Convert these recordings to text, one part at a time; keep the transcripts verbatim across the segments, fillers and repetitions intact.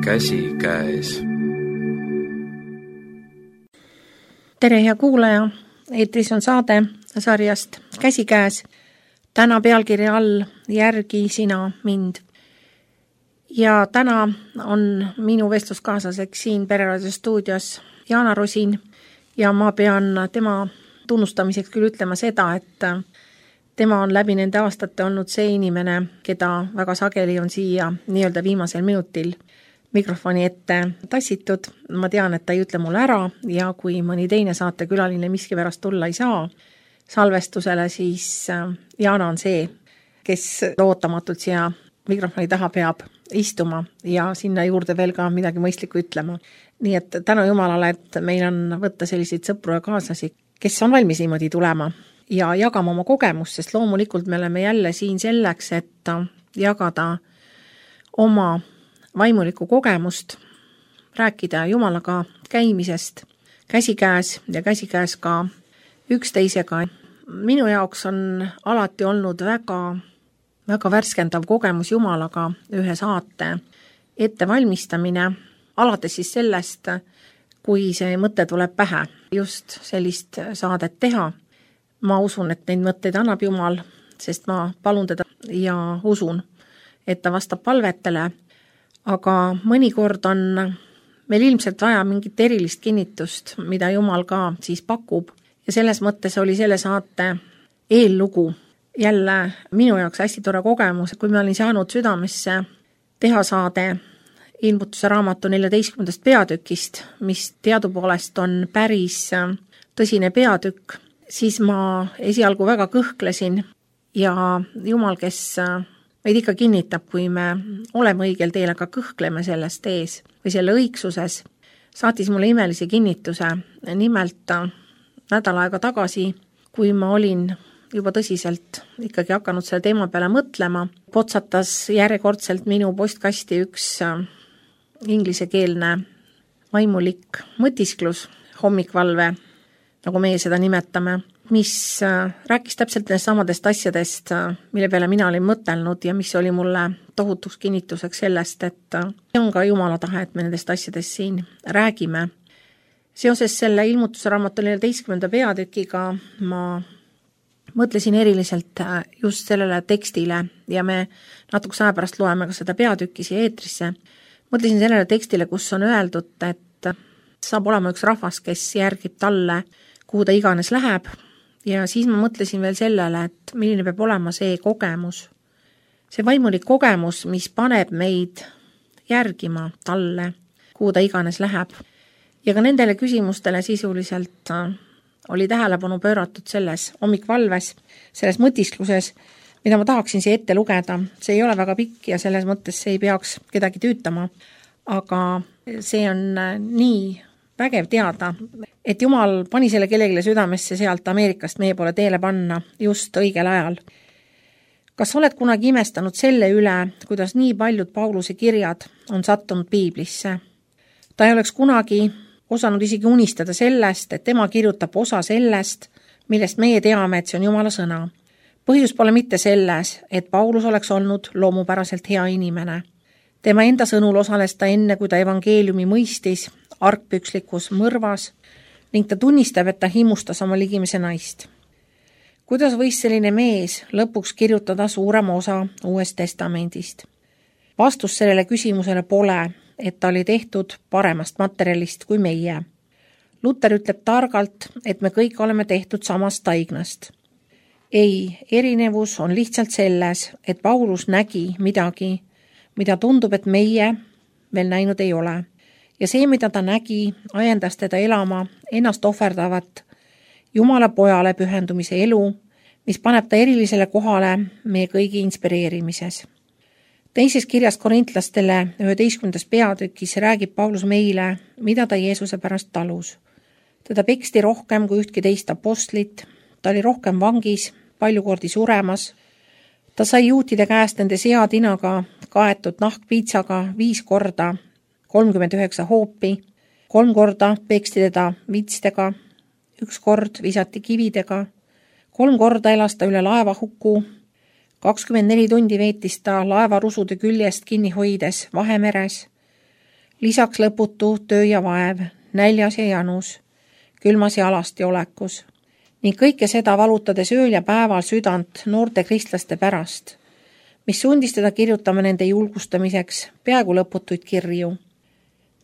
käsikäes. Tere, hea kuulaja! Eetris on saade sarjast Käsikäes. Täna pealkirja all Järgi sina mind. Ja täna on minu vestluskaaslaseks siin Pereraadio stuudios Jaana Rosin ja ma pean tema tunnustamiseks küll ütlema seda, et tema on läbi nende aastate olnud see inimene, keda väga sageli on siia nii-öelda viimasel minutil mikrofoni ette tassitud. Ma tean, et ta ei ütle mulle ära ja kui mõni teine saatekülaline miskipärast tulla ei saa salvestusele, siis Jaana on see, kes ootamatult siia mikrofoni taha peab istuma ja sinna juurde veel ka midagi mõistlikku ütlema. Nii et tänu Jumalale, et meil on võtta selliseid sõpru ja kaaslasi, kes on valmis niimoodi tulema ja jagama oma kogemust, sest loomulikult me oleme jälle siin selleks, et jagada oma vaimulikku kogemust, rääkida Jumalaga käimisest käsikäes ja käsikäes ka üksteisega. Minu jaoks on alati olnud väga, väga värskendav kogemus Jumalaga ühe saate ettevalmistamine, alates siis sellest, kui see mõte tuleb pähe, just sellist saadet teha. Ma usun, et neid mõtteid annab Jumal, sest ma palun teda ja usun, et ta vastab palvetele. Aga mõnikord on meil ilmselt vaja mingit erilist kinnitust, mida Jumal ka siis pakub. Ja selles mõttes oli selle saate eellugu jälle minu jaoks hästi tore kogemus, kui ma olin saanud südamesse teha saade Ilmutuse raamatu neljateistkümnendast peatükist, mis teadupoolest on päris tõsine peatükk, siis ma esialgu väga kõhklesin ja Jumal, kes meid ikka kinnitab, kui me oleme õigel teel, aga kõhkleme sellest ees või selle õigsuses, saatis mulle imelise kinnituse. Nimelt nädal aega tagasi, kui ma olin juba tõsiselt ikkagi hakanud selle teema peale mõtlema, potsatas järjekordselt minu postkasti üks inglisekeelne vaimulik mõtisklus, hommikvalve, nagu meie seda nimetame, mis rääkis täpselt nendest samadest asjadest, mille peale mina olin mõtelnud ja mis oli mulle tohutuks kinnituseks sellest, et see on ka Jumala tahe, et me nendest asjadest siin räägime. Seoses selle Ilmutuse raamatu neljateistkümnenda peatükiga ma mõtlesin eriliselt just sellele tekstile ja me natukese aja pärast loeme ka seda peatükki siia eetrisse. Mõtlesin sellele tekstile, kus on öeldud, et saab olema üks rahvas, kes järgib talle, kuhu ta iganes läheb. Ja siis ma mõtlesin veel sellele, et milline peab olema see kogemus. See vaimulik kogemus, mis paneb meid järgima talle, kuhu ta iganes läheb. Ja ka nendele küsimustele sisuliselt oli tähelepanu pööratud selles hommikvalves, selles mõtiskluses, mida ma tahaksin siia ette lugeda. See ei ole väga pikk ja selles mõttes see ei peaks kedagi tüütama, aga see on nii vägev teada, et Jumal pani selle kellelegi südamesse sealt Ameerikast meie poole teele panna just õigel ajal. Kas oled kunagi imestanud selle üle, kuidas nii paljud Pauluse kirjad on sattunud Piiblisse? Ta ei oleks kunagi osanud isegi unistada sellest, et tema kirjutab osa sellest, millest meie teame, et see on Jumala sõna. Põhjus pole mitte selles, et Paulus oleks olnud loomupäraselt hea inimene. Tema enda sõnul osales ta enne, kui ta evangeeliumi mõistis, argpükslikus mõrvas ning ta tunnistab, et ta himustas oma ligimese naist. Kuidas võis selline mees lõpuks kirjutada suurema osa Uuest Testamendist? Vastus sellele küsimusele pole, et ta oli tehtud paremast materjalist kui meie. Luther ütleb targalt, et me kõik oleme tehtud samast taignast. Ei, erinevus on lihtsalt selles, et Paulus nägi midagi, mida tundub, et meie veel näinud ei ole. Ja see, mida ta nägi, ajendas teda elama ennast ohverdavat Jumala pojale pühendumise elu, mis paneb ta erilisele kohale meie kõigi inspireerimises. Teises kirjas korintlastele üheteistkümnendas peatükis räägib Paulus meile, mida ta Jeesuse pärast talus. Teda peksti rohkem kui ühtki teist apostlit, ta oli rohkem vangis, palju kordi suremas. Ta sai juutide käest nende seatinaga kaetud nahkpiitsaga viis korda, kolmkümmend üheksa hoopi, kolm korda peksti teda vitstega, üks kord visati kividega, kolm korda elas ta üle laevahuku, kakskümmend neli tundi veetis ta laevarusude küljest kinni hoides Vahemeres, lisaks lõputu töö ja vaev, näljas ja janus, külmas ja alasti olekus. Ning kõike seda valutades ööl ja päeval südant noorte kristlaste pärast, mis sundis teda kirjutama nende julgustamiseks peaaegu lõputuid kirju.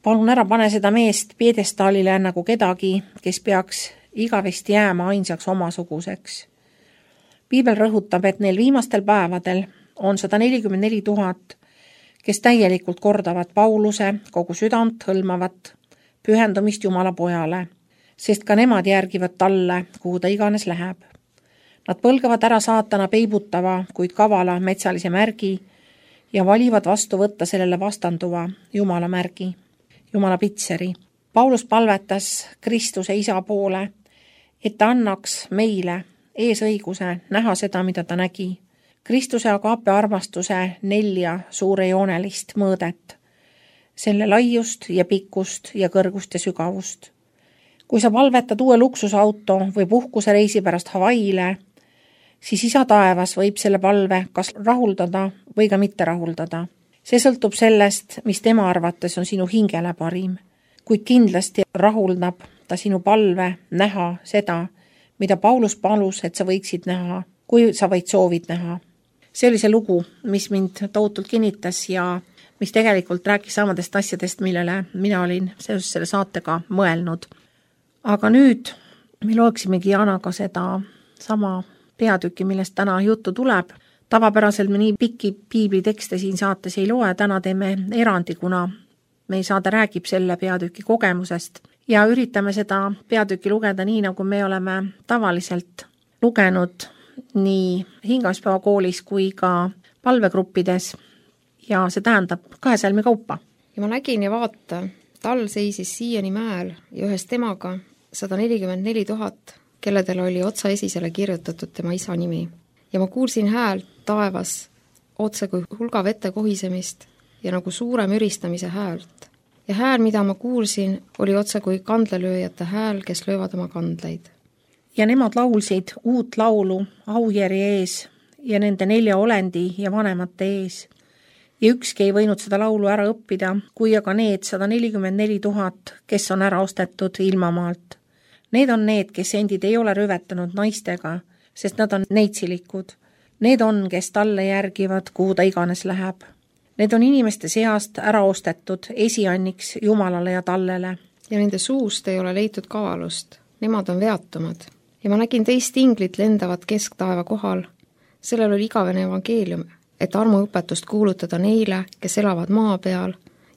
Palun ära pane seda meest piedestaalile nagu kedagi, kes peaks igavesti jääma ainsaks omasuguseks. Piibel rõhutab, et neil viimastel päevadel on sada nelikümmend neli tuhat, kes täielikult kordavad Pauluse kogu südant hõlmavat pühendumist Jumala pojale, sest ka nemad järgivad talle, kuhu ta iganes läheb. Nad põlgavad ära saatana peibutava, kuid kavala metsalise märgi ja valivad vastu võtta sellele vastanduva Jumala märgi, Jumala pitseri. Paulus palvetas Kristuse isa poole, et ta annaks meile eesõiguse näha seda, mida ta nägi. Kristuse agape armastuse nelja suurejoonelist mõõdet, selle laiust ja pikkust ja kõrgust ja sügavust. Kui sa palvetad uue luksusauto või puhkuse reisi pärast Hawaiile, siis isa taevas võib selle palve kas rahuldada või ka mitte rahuldada. See sõltub sellest, mis tema arvates on sinu hingele parim, kuid kindlasti rahuldab ta sinu palve näha seda, mida Paulus palus, et sa võiksid näha, kui sa võid soovid näha. See oli see lugu, mis mind tohutult kinnitas ja mis tegelikult rääkis samadest asjadest, millele mina olin seoses selle saatega mõelnud. Aga nüüd me loeksimegi Janaga seda sama peatüki, millest täna juttu tuleb. Tavapäraselt me nii pikki piiblitekste siin saates ei loe, täna teeme erandi, kuna meie saade räägib selle peatüki kogemusest ja üritame seda peatüki lugeda nii, nagu me oleme tavaliselt lugenud nii hingamispäeva koolis kui ka palvegruppides ja see tähendab kahe salmi kaupa. Ja ma nägin ja vaata, tal seisis siiani mäel ja ühes temaga sada nelikümmend neli tuhat, kelledel oli otsa esisele kirjutatud tema isa nimi. Ja ma kuulsin häält taevas otse kui hulga vette kohisemist ja nagu suure müristamise häält. Ja hääl, mida ma kuulsin, oli otse kui kandlelööjate hääl, kes löövad oma kandleid. Ja nemad laulsid uut laulu aujärje ees ja nende nelja olendi ja vanemate ees. Ja ükski ei võinud seda laulu ära õppida, kui aga need sada nelikümmend neli tuhat, kes on ära ostetud ilmamaalt. Need on need, kes endid ei ole rüvetanud naistega, sest nad on neitsilikud. Need on, kes talle järgivad, kuhu ta iganes läheb. Need on inimeste seast ära ostetud esianniks Jumalale ja tallele. Ja nende suust ei ole leitud kavalust. Nemad on veatumad. Ja ma nägin teist inglit lendavat kesktaeva kohal. Sellel oli igavene evangeelium, et armuõpetust kuulutada neile, kes elavad maa peal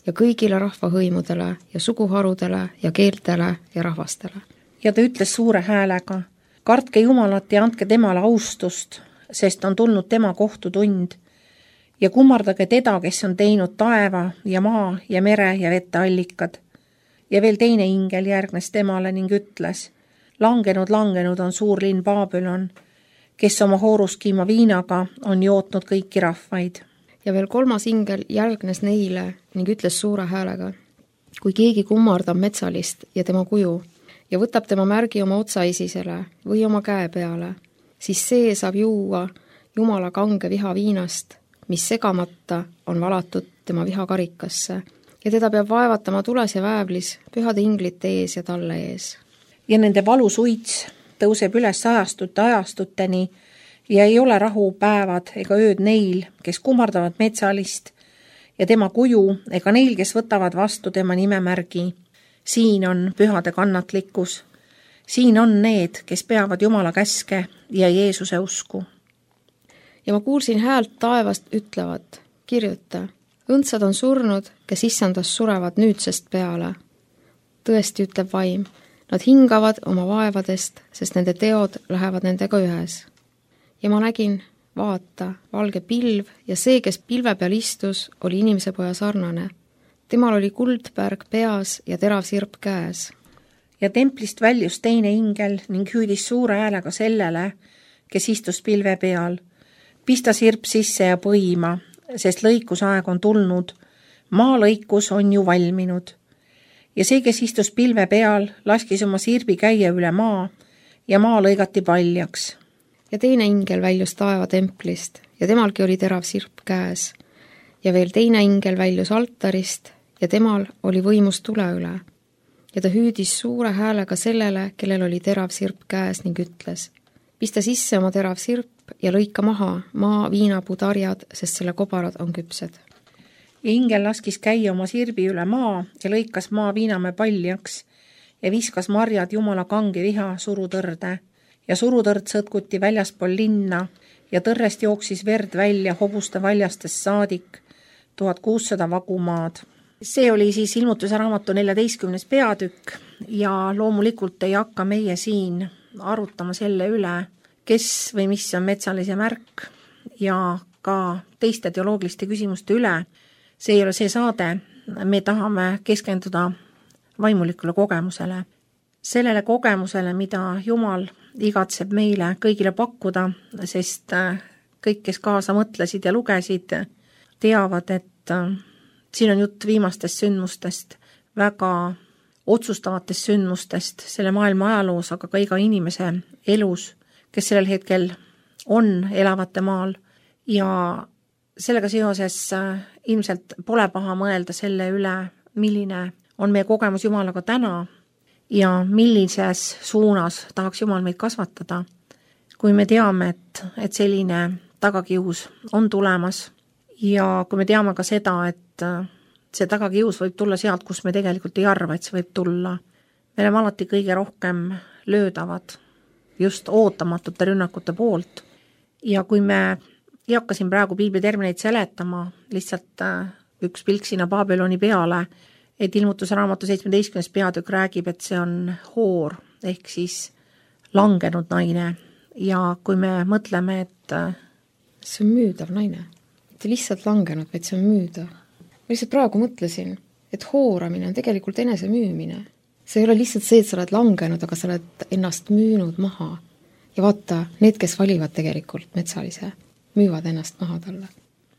ja kõigile rahvahõimudele ja suguharudele ja keeltele ja rahvastele. Ja ta ütles suure häälega, kartke Jumalat ja andke temale austust, sest on tulnud tema kohtutund ja kummardage teda, kes on teinud taeva ja maa ja mere ja vette allikad. Ja veel teine ingel järgnes temale ning ütles, langenud, langenud on suur linn Babylon, kes oma hooruskiima viinaga on jootnud kõiki rahvaid. Ja veel kolmas ingel järgnes neile ning ütles suure häälega, kui keegi kummardab metsalist ja tema kuju ja võtab tema märgi oma otsaesisele või oma käe peale, siis see saab juua Jumala kange viha viinast, mis segamata on valatud tema vihakarikasse ja teda peab vaevatama tules ja väävlis pühade inglite ees ja talle ees. Ja nende valusuits tõuseb üles ajastute ajastuteni ja ei ole rahupäevad ega ööd neil, kes kummardavad metsalist ja tema kuju ega neil, kes võtavad vastu tema nimemärgi. Siin on pühade kannatlikkus. Siin on need, kes peavad Jumala käske ja Jeesuse usku. Ja ma kuulsin häält taevast ütlevat, kirjuta, õndsad on surnud, kes issandast surevad nüüdsest peale. Tõesti ütleb vaim, nad hingavad oma vaevadest, sest nende teod lähevad nendega ühes. Ja ma nägin, vaata, valge pilv ja see, kes pilve peal istus, oli inimese poja sarnane. Temal oli kuldpärg peas ja terav sirp käes. Ja templist väljus teine ingel ning hüüdis suure häälega sellele, kes istus pilve peal. Pista sirp sisse ja põima, sest lõikusaeg on tulnud. Maa lõikus on ju valminud. Ja see, kes istus pilve peal, laskis oma sirbi käia üle maa ja maa lõigati paljaks. Ja teine ingel väljus taeva templist ja temalgi oli terav sirp käes. Ja veel teine ingel väljus altarist ja temal oli võimus tule üle. Ja ta hüüdis suure häälega sellele, kellel oli terav sirp käes ning ütles: pista sisse oma terav sirp ja lõika maha maa viinapuutarjad, sest selle kobarad on küpsed. Ja ingel laskis käia oma sirbi üle maa ja lõikas maa viinamäe paljaks ja viskas marjad Jumala kange viha surutõrde. Ja surutõrd sõtkuti väljaspool linna ja tõrrest jooksis verd välja hobuste valjastest saadik tuhat kuussada vagumaad. See oli siis Ilmutuse raamatu neljateistkümnes peatükk ja loomulikult ei hakka meie siin arutama selle üle, kes või mis on metsalise märk ja ka teiste teoloogiliste küsimuste üle. See ei ole see saade, me tahame keskenduda vaimulikule kogemusele. Sellele kogemusele, mida Jumal igatseb meile kõigile pakkuda, sest kõik, kes kaasa mõtlesid ja lugesid, teavad, et siin on jutt viimastest sündmustest, väga otsustavatest sündmustest selle maailma ajaloos, aga ka iga inimese elus, kes sellel hetkel on elavate maal. Ja sellega seoses ilmselt pole paha mõelda selle üle, milline on meie kogemus Jumalaga täna ja millises suunas tahaks Jumal meid kasvatada, kui me teame, et, et selline tagakius on tulemas ja kui me teame ka seda, et see tagakius võib tulla sealt, kus me tegelikult ei arva, et see võib tulla. Me oleme alati kõige rohkem löödavad just ootamatute rünnakute poolt ja kui me ei hakka siin praegu piiblitermineid seletama, lihtsalt üks pilk sinna Babyloni peale, et Ilmutuse raamatu seitsmeteistkümnes peatükk räägib, et see on hoor ehk siis langenud naine ja kui me mõtleme, et see on müüdav naine, mitte lihtsalt langenud, vaid see on müüdav. Ma lihtsalt praegu mõtlesin, et hooramine on tegelikult enese müümine. See ei ole lihtsalt see, et sa oled langenud, aga sa oled ennast müünud maha. Ja vaata, need, kes valivad tegelikult metsalise, müüvad ennast maha talle.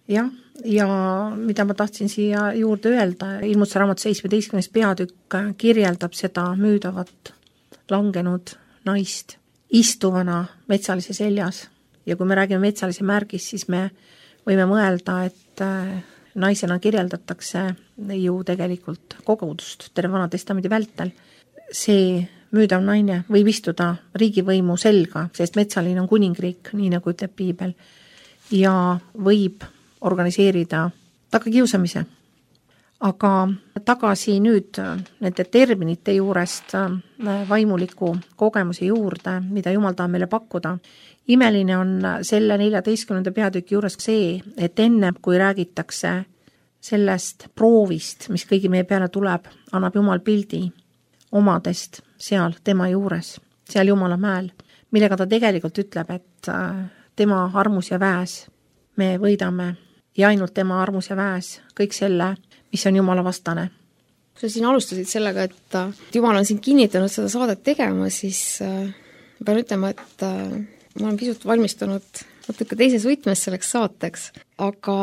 Jah, ja mida ma tahtsin siia juurde öelda, Ilmutuse raamatu seitsmeteistkümnes peatükk kirjeldab seda müüdavat langenud naist istuvana metsalise seljas. Ja kui me räägime metsalise märgis, siis me võime mõelda, et naisena kirjeldatakse ju tegelikult kogudust terve vana testamendi vältel. See müüdav naine võib istuda riigivõimu selga, sest metsaline on kuningriik, nii nagu ütleb piibel, ja võib organiseerida tagakiusamise. Aga tagasi nüüd nende terminite juurest vaimuliku kogemuse juurde, mida Jumal tahab meile pakkuda. Imeline on selle neljateistkümnenda peatüki juures see, et enne kui räägitakse sellest proovist, mis kõigi meie peale tuleb, annab Jumal pildi omadest seal tema juures, seal Jumala mäel, millega ta tegelikult ütleb, et tema armus ja väes me võidame ja ainult tema armus ja väes kõik selle, mis on Jumala vastane. Kui sa siin alustasid sellega, et Jumal on siin kinnitanud seda saadet tegema, siis pean ütlema, et ma olen pisut valmistunud natuke teises võtmes selleks saateks, aga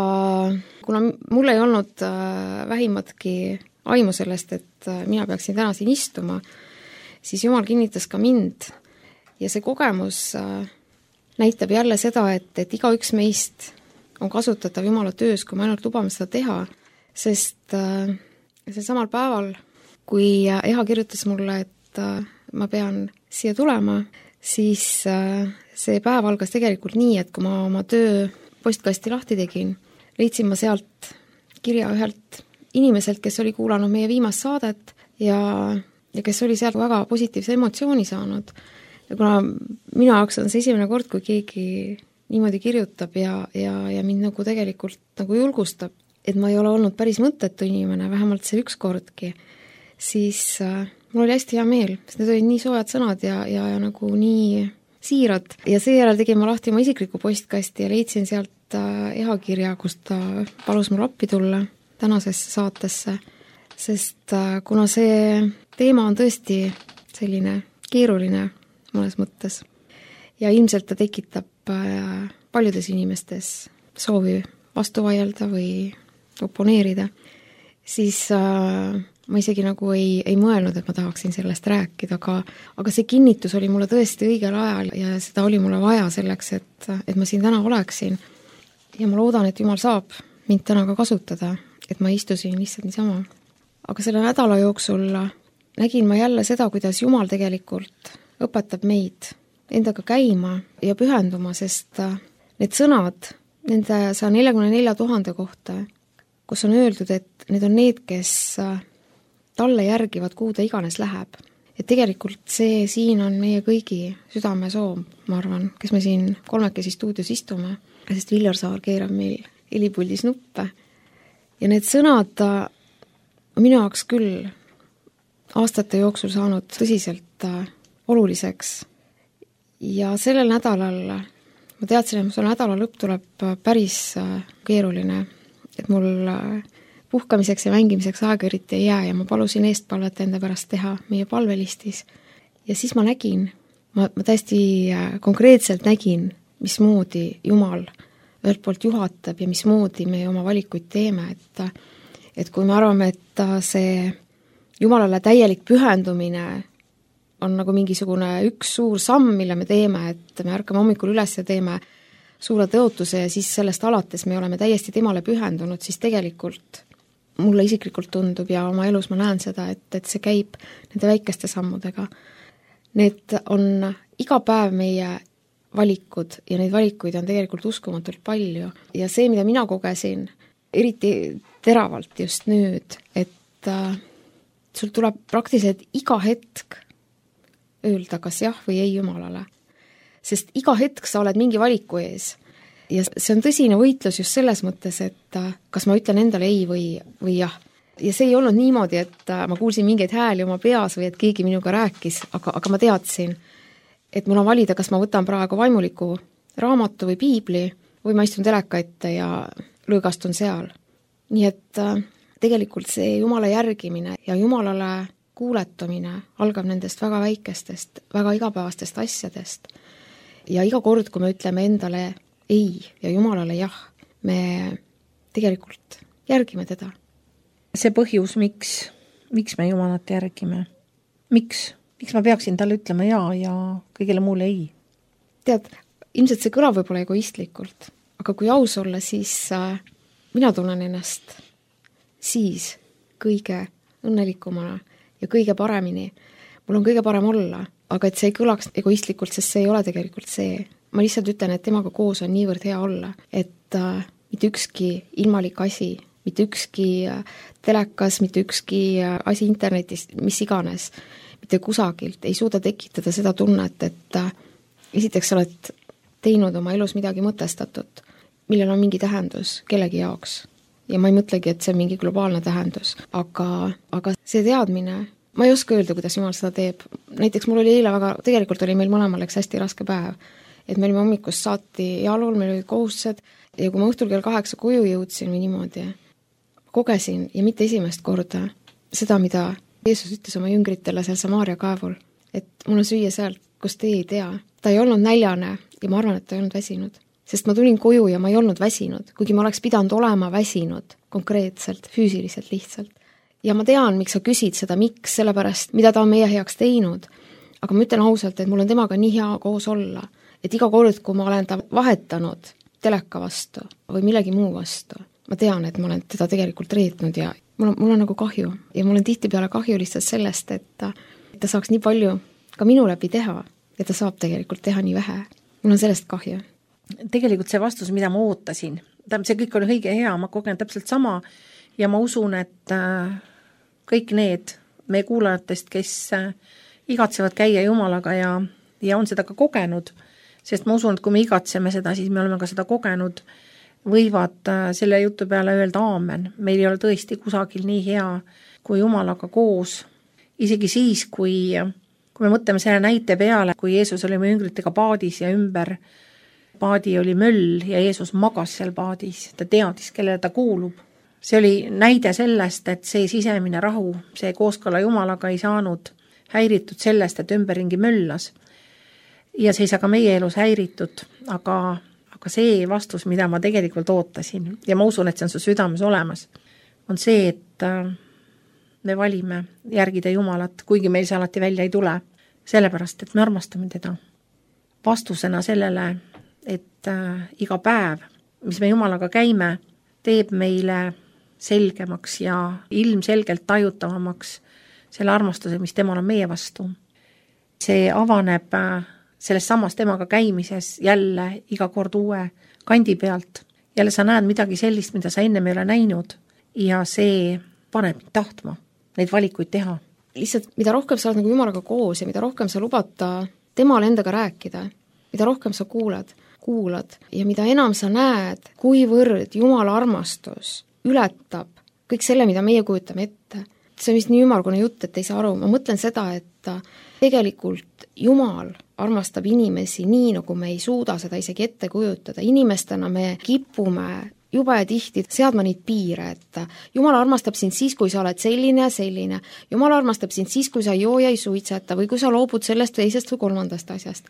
kuna mul ei olnud vähimatki aimu sellest, et mina peaksin täna siin istuma, siis Jumal kinnitas ka mind ja see kogemus näitab jälle seda, et, et iga üks meist on kasutatav Jumala töös, kui me ainult lubame seda teha, sest see samal päeval, kui Eha kirjutas mulle, et ma pean siia tulema, siis see päev algas tegelikult nii, et kui ma oma töö postkasti lahti tegin, leidsin ma sealt kirja ühelt inimeselt, kes oli kuulanud meie viimast saadet ja, ja kes oli sealt väga positiivse emotsiooni saanud. Ja kuna minu jaoks on see esimene kord, kui keegi niimoodi kirjutab ja, ja, ja mind nagu tegelikult nagu julgustab, et ma ei ole olnud päris mõttetu inimene, vähemalt see üks kordki, siis äh, mul oli hästi hea meel, sest need olid nii soojad sõnad ja, ja, ja nagu nii siirad. Ja seejärel tegin ma lahti oma isikliku postkasti ja leidsin sealt äh, Eha kirja, kus ta palus mul appi tulla tänasesse saatesse, sest äh, kuna see teema on tõesti selline keeruline mõnes mõttes ja ilmselt ta tekitab äh, paljudes inimestes soovi vastu vaielda või oponeerida, siis äh, ma isegi nagu ei, ei mõelnud, et ma tahaksin sellest rääkida, aga, aga see kinnitus oli mulle tõesti õigel ajal ja seda oli mulle vaja selleks, et, et ma siin täna oleksin. Ja ma loodan, et Jumal saab mind täna ka kasutada, et ma istusin lihtsalt niisama aga selle nädala jooksul nägin ma jälle seda, kuidas Jumal tegelikult õpetab meid endaga käima ja pühenduma, sest need sõnad nende saja neljakümne nelja tuhande kohta, kus on öeldud, et need on need, kes talle järgivad, kuhu ta iganes läheb. Et tegelikult see siin on meie kõigi südamesoov, ma arvan, kes me siin kolmekesi stuudios istume, sest Viljar Saar keerab meil helipuldis nuppe. Ja need sõnad minu jaoks küll aastate jooksul saanud tõsiselt oluliseks. Ja sellel nädalal, ma teadsin, et selle nädala lõpp tuleb päris keeruline, et mul puhkamiseks ja mängimiseks aega eriti ei jää ja ma palusin eestpalvet enda pärast teha meie palvelistis. Ja siis ma nägin, ma, ma täiesti konkreetselt nägin, mismoodi Jumal ühelt poolt juhatab ja mismoodi me oma valikuid teeme, et, et kui me arvame, et see Jumalale täielik pühendumine on nagu mingisugune üks suur samm, mille me teeme, et me ärkame hommikul üles ja teeme suure tõotuse ja siis sellest alates me oleme täiesti temale pühendunud, siis tegelikult mulle isiklikult tundub ja oma elus ma näen seda, et, et see käib nende väikeste sammudega. Need on iga päev meie valikud ja neid valikuid on tegelikult uskumatult palju. Ja see, mida mina kogesin, eriti teravalt just nüüd, et äh, sul tuleb praktiliselt iga hetk öelda, kas jah või ei Jumalale. Sest iga hetk sa oled mingi valiku ees. Ja see on tõsine võitlus just selles mõttes, et kas ma ütlen endale ei või, või jah. Ja see ei olnud niimoodi, et ma kuulsin mingeid hääli oma peas või et keegi minuga rääkis, aga, aga ma teadsin, et mul on valida, kas ma võtan praegu vaimuliku raamatu või piibli või ma istun teleka ette ja lõõgastun seal. Nii et tegelikult see Jumala järgimine ja Jumalale kuuletumine algab nendest väga väikestest, väga igapäevastest asjadest. Ja iga kord, kui me ütleme endale ei ja Jumalale jah, me tegelikult järgime teda. See põhjus, miks, miks me Jumalat järgime? Miks? Miks ma peaksin talle ütlema ja ja kõigele muule ei? Tead, ilmselt see kõlab võib-olla egoistlikult, aga kui aus olla, siis äh, mina tunnen ennast siis kõige õnnelikumana ja kõige paremini. Mul on kõige parem olla, aga et see ei kõlaks egoistlikult, sest see ei ole tegelikult see. Ma lihtsalt ütlen, et temaga koos on niivõrd hea olla, et äh, mitte ükski ilmalik asi, mitte ükski äh, telekas, mitte ükski äh, asi internetis, mis iganes, mitte kusagilt ei suuda tekitada seda tunnet, et äh, esiteks sa oled teinud oma elus midagi mõtestatud, millel on mingi tähendus kellegi jaoks. Ja ma ei mõtlegi, et see on mingi globaalne tähendus, aga, aga see teadmine, ma ei oska öelda, kuidas Jumal seda teeb. Näiteks mul oli eile väga, tegelikult oli meil mõlemal läks hästi raske päev, et me olime hommikust saati jalul, meil olid kohustused ja kui ma õhtul kell kaheksa koju jõudsin või niimoodi, kogesin ja mitte esimest korda seda, mida Jeesus ütles oma jüngritele seal Samaaria kaevul, et mul on süüa sealt, kus teie ei tea. Ta ei olnud näljane ja ma arvan, et ta ei olnud väsinud. Sest ma tulin koju ja ma ei olnud väsinud, kuigi ma oleks pidanud olema väsinud konkreetselt, füüsiliselt lihtsalt. Ja ma tean, miks sa küsid seda, miks, sellepärast, mida ta on meie heaks teinud. Aga ma ütlen ausalt, et mul on temaga nii hea koos olla, et iga kord, kui ma olen ta vahetanud teleka vastu või millegi muu vastu, ma tean, et ma olen teda tegelikult reetnud ja mul on, mul on nagu kahju. Ja mul on tihtipeale kahju lihtsalt sellest, et ta, et ta saaks nii palju ka minu läbi teha ja ta saab tegelikult teha nii vähe. Mul on sellest kahju. Tegelikult see vastus, mida ma ootasin, see kõik oli õige hea, ma kogen täpselt sama ja ma usun, et kõik need meie kuulajatest, kes igatsevad käia Jumalaga ja, ja on seda ka kogenud, sest ma usun, et kui me igatseme seda, siis me oleme ka seda kogenud, võivad selle jutu peale öelda aamen. Meil ei ole tõesti kusagil nii hea kui Jumalaga koos. Isegi siis, kui, kui me mõtleme selle näite peale, kui Jeesus oli meie jüngritega paadis ja ümber paadi oli möll ja Jeesus magas seal paadis, ta teadis, kellele ta kuulub. See oli näide sellest, et see sisemine rahu, see kooskõla Jumalaga ei saanud häiritud sellest, et ümberringi möllas. Ja see ei saa ka meie elus häiritud, aga, aga see vastus, mida ma tegelikult ootasin, ja ma usun, et see on su südames olemas, on see, et me valime järgida Jumalat, kuigi meil see alati välja ei tule, sellepärast, et me armastame teda. Vastusena sellele, et iga päev, mis me Jumalaga käime, teeb meile selgemaks ja ilmselgelt tajutavamaks selle armastuse, mis temal on meie vastu. See avaneb selles samas temaga käimises jälle iga kord uue kandi pealt. Jälle sa näed midagi sellist, mida sa enne ei ole näinud ja see paneb tahtma neid valikuid teha. Lihtsalt mida rohkem sa oled nagu Jumalaga koos ja mida rohkem sa lubad temal endaga rääkida, mida rohkem sa kuulad, kuulad ja mida enam sa näed, kuivõrd Jumala armastus ületab kõik selle, mida meie kujutame ette. See on vist nii ümmargune jutt, et ei saa aru. Ma mõtlen seda, et tegelikult Jumal armastab inimesi nii, nagu me ei suuda seda isegi ette kujutada. Inimestena me kipume juba ja tihti seadma neid piire, et Jumal armastab sind siis, kui sa oled selline ja selline. Jumal armastab sind siis, kui sa ei joo ja ei suitseta või kui sa loobud sellest teisest või kolmandast asjast.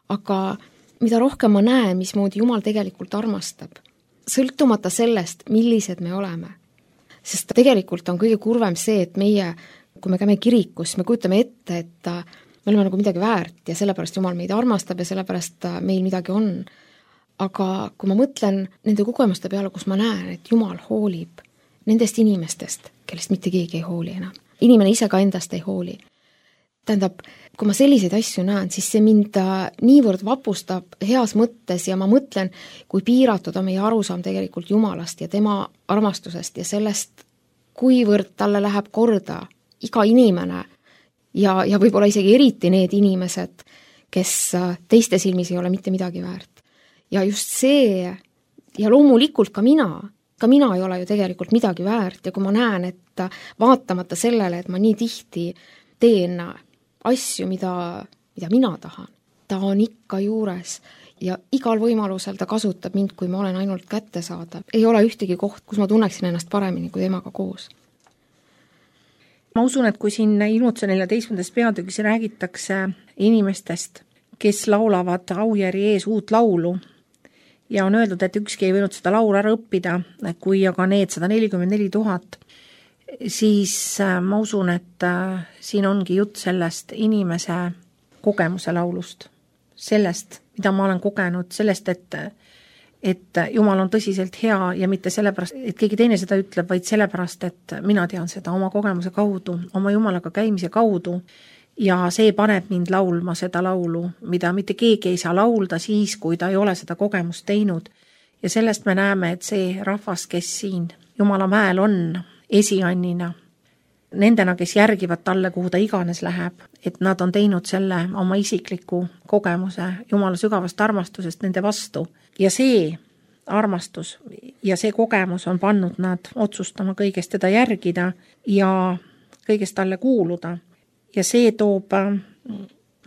Aga mida rohkem ma näen, mismoodi Jumal tegelikult armastab, sõltumata sellest, millised me oleme. Sest tegelikult on kõige kurvem see, et meie, kui me käime kirikus, me kujutame ette, et me oleme nagu midagi väärt ja sellepärast Jumal meid armastab ja sellepärast meil midagi on. Aga kui ma mõtlen nende kogemuste peale, kus ma näen, et Jumal hoolib nendest inimestest, kellest mitte keegi ei hooli enam. Inimene ise ka endast ei hooli. Tähendab, kui ma selliseid asju näen, siis see mind niivõrd vapustab heas mõttes ja ma mõtlen, kui piiratud on meie arusaam tegelikult Jumalast ja tema armastusest ja sellest, kuivõrd talle läheb korda iga inimene ja, ja võib-olla isegi eriti need inimesed, kes teiste silmis ei ole mitte midagi väärt. Ja just see, ja loomulikult ka mina, ka mina ei ole ju tegelikult midagi väärt ja kui ma näen, et vaatamata sellele, et ma nii tihti teen asju, mida, mida mina tahan, ta on ikka juures ja igal võimalusel ta kasutab mind, kui ma olen ainult kätte saada. Ei ole ühtegi koht, kus ma tunneksin ennast paremini kui temaga koos. Ma usun, et kui siin Ilmutuse neljateistkümnendas peatükis räägitakse inimestest, kes laulavad Aujärvi ees uut laulu ja on öeldud, et ükski ei võinud seda laulu ära õppida, kui aga need sada nelikümmend neli tuhat, siis ma usun, et siin ongi jutt sellest inimese kogemuse laulust, sellest, mida ma olen kogenud, sellest, et, et Jumal on tõsiselt hea ja mitte sellepärast, et keegi teine seda ütleb, vaid sellepärast, et mina tean seda oma kogemuse kaudu, oma Jumalaga käimise kaudu ja see paneb mind laulma seda laulu, mida mitte keegi ei saa laulda siis, kui ta ei ole seda kogemust teinud. Ja sellest me näeme, et see rahvas, kes siin Jumala mäel on, esiannina, nendena, kes järgivad talle, kuhu ta iganes läheb, et nad on teinud selle oma isikliku kogemuse Jumala sügavast armastusest nende vastu. Ja see armastus ja see kogemus on pannud nad otsustama kõigest teda järgida ja kõigest talle kuuluda. Ja see toob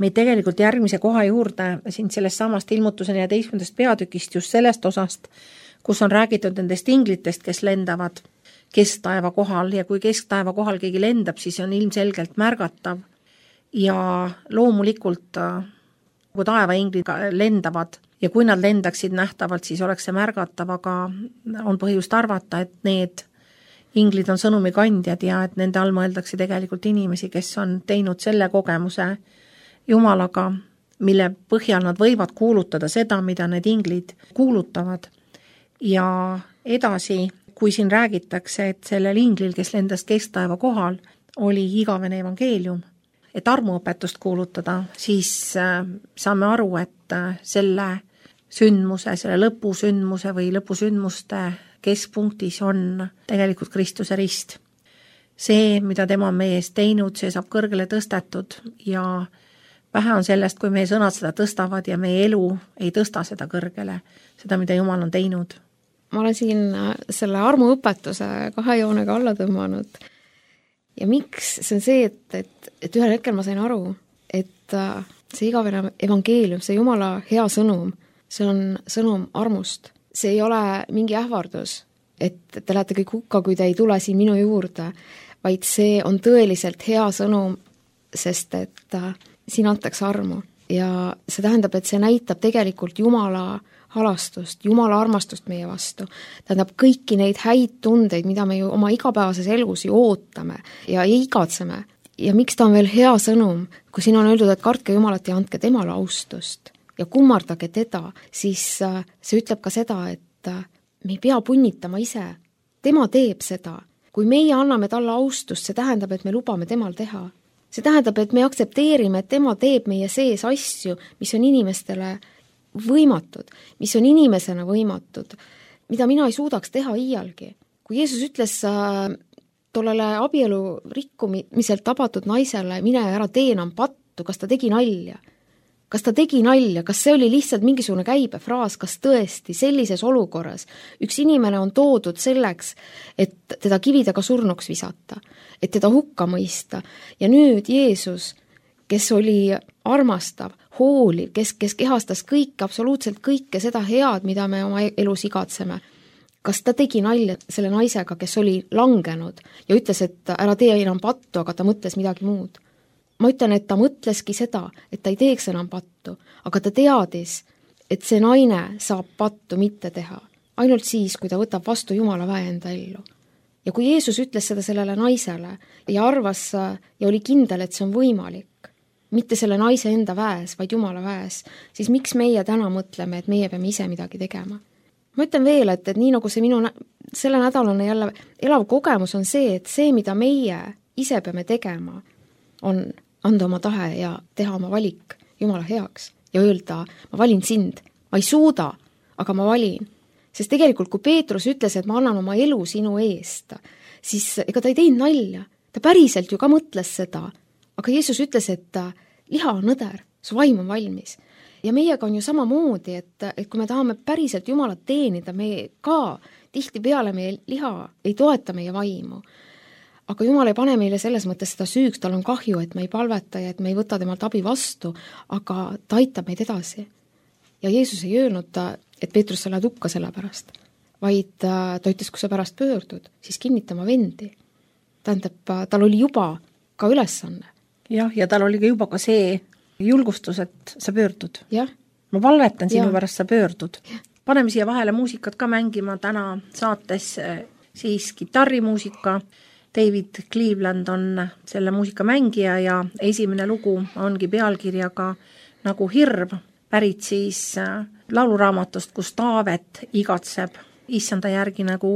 meid tegelikult järgmise koha juurde siin sellest samast Ilmutuse neljateistkümnendast peatükist just sellest osast, kus on räägitud nendest inglitest, kes lendavad kesktaeva kohal ja kui kesktaeva kohal keegi lendab, siis on ilmselgelt märgatav ja loomulikult kui taevainglid lendavad ja kui nad lendaksid nähtavalt, siis oleks see märgatav, aga on põhjust arvata, et need inglid on sõnumikandjad ja et nende all mõeldakse tegelikult inimesi, kes on teinud selle kogemuse Jumalaga, mille põhjal nad võivad kuulutada seda, mida need inglid kuulutavad ja edasi, kui siin räägitakse, et sellel inglil, kes lendas kesktaeva kohal, oli igavene evangeelium, et armuõpetust kuulutada, siis saame aru, et selle sündmuse, selle lõpusündmuse või lõpusündmuste keskpunktis on tegelikult Kristuse rist. See, mida tema on meie eest teinud, see saab kõrgele tõstetud ja vähe on sellest, kui meie sõnad seda tõstavad ja meie elu ei tõsta seda kõrgele, seda, mida Jumal on teinud. Ma olen siin selle armuõpetuse kahe joonega alla tõmmanud ja miks? See on see, et, et, et ühel hetkel ma sain aru, et see igavene evangeelium, see Jumala hea sõnum, see on sõnum armust. See ei ole mingi ähvardus, et te lähete kõik hukka, kui te ei tule siin minu juurde, vaid see on tõeliselt hea sõnum, sest et siin antakse armu. Ja see tähendab, et see näitab tegelikult Jumala halastust, Jumala armastust meie vastu. Tähendab kõiki neid häid tundeid, mida me ju oma igapäevases elus ju ootame ja igatseme. Ja miks ta on veel hea sõnum, kui siin on öeldud, et kartke Jumalat ja andke temale austust ja kummardage teda, siis see ütleb ka seda, et me ei pea punnitama ise tema teeb seda. Kui meie anname talle austust, see tähendab, et me lubame temal teha. See tähendab, et me aktsepteerime, et tema teeb meie sees asju, mis on inimestele võimatud, mis on inimesena võimatud, mida mina ei suudaks teha iialgi. Kui Jeesus ütles äh, tollele abielu rikkumiselt tabatud naisele, mine ära tee enam pattu, kas ta tegi nalja? Kas ta tegi nalja? Kas see oli lihtsalt mingisugune käibefraas? Kas tõesti sellises olukorras üks inimene on toodud selleks, et teda kividega surnuks visata, et teda hukka mõista? Ja nüüd Jeesus, kes oli armastav, hooliv, kes, kes kehastas kõike, absoluutselt kõike seda head, mida me oma elus igatseme. Kas ta tegi nalja selle naisega, kes oli langenud ja ütles, et ära tee enam pattu, aga ta mõtles midagi muud? Ma ütlen, et ta mõtleski seda, et ta ei teeks enam pattu, aga ta teadis, et see naine saab pattu mitte teha. Ainult siis, kui ta võtab vastu Jumala väe enda ellu. Ja kui Jeesus ütles seda sellele naisele ja arvas ja oli kindel, et see on võimalik, mitte selle naise enda väes, vaid Jumala väes, siis miks meie täna mõtleme, et meie peame ise midagi tegema? Ma ütlen veel, et, et nii nagu see minu selle nädalane jälle elav kogemus on see, et see, mida meie ise peame tegema, on anda oma tahe ja teha oma valik Jumala heaks ja öelda, ma valin sind, ma ei suuda, aga ma valin. Sest tegelikult, kui Peetrus ütles, et ma annan oma elu sinu eest, siis ega ta ei teinud nalja. Ta päriselt ju ka mõtles seda, aga Jeesus ütles, et liha on õder, su vaim on valmis. Ja meiega on ju samamoodi, et, et kui me tahame päriselt Jumalat teenida, me ka tihti peale meie liha ei toeta meie vaimu. Aga Jumal ei pane meile selles mõttes seda süüks, tal on kahju, et me ei palveta ja et me ei võta temalt abi vastu, aga ta aitab meid edasi. Ja Jeesus ei öelnud, et Peetrus, sa lähed hukka selle pärast, vaid ta ütles, kui sa pärast pöördud, siis kinnitama vendi. Tähendab, tal oli juba ka ülesanne. Jah, ja tal oli ka juba ka see julgustus, et sa pöördud. Jah. Ma palvetan sinu ja. Pärast sa pöördud. Ja. Paneme siia vahele muusikat ka mängima täna saates siis kitarrimuusika. David Cleveland on selle muusika mängija ja esimene lugu ongi pealkirjaga nagu Hirv, pärit siis lauluraamatust, kus Taavet igatseb issanda järgi nagu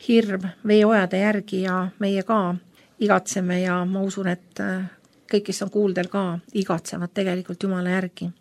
hirv veeojade järgi ja meie ka igatseme ja ma usun, et kõik, kes on kuuldel ka, igatsevad tegelikult Jumala järgi.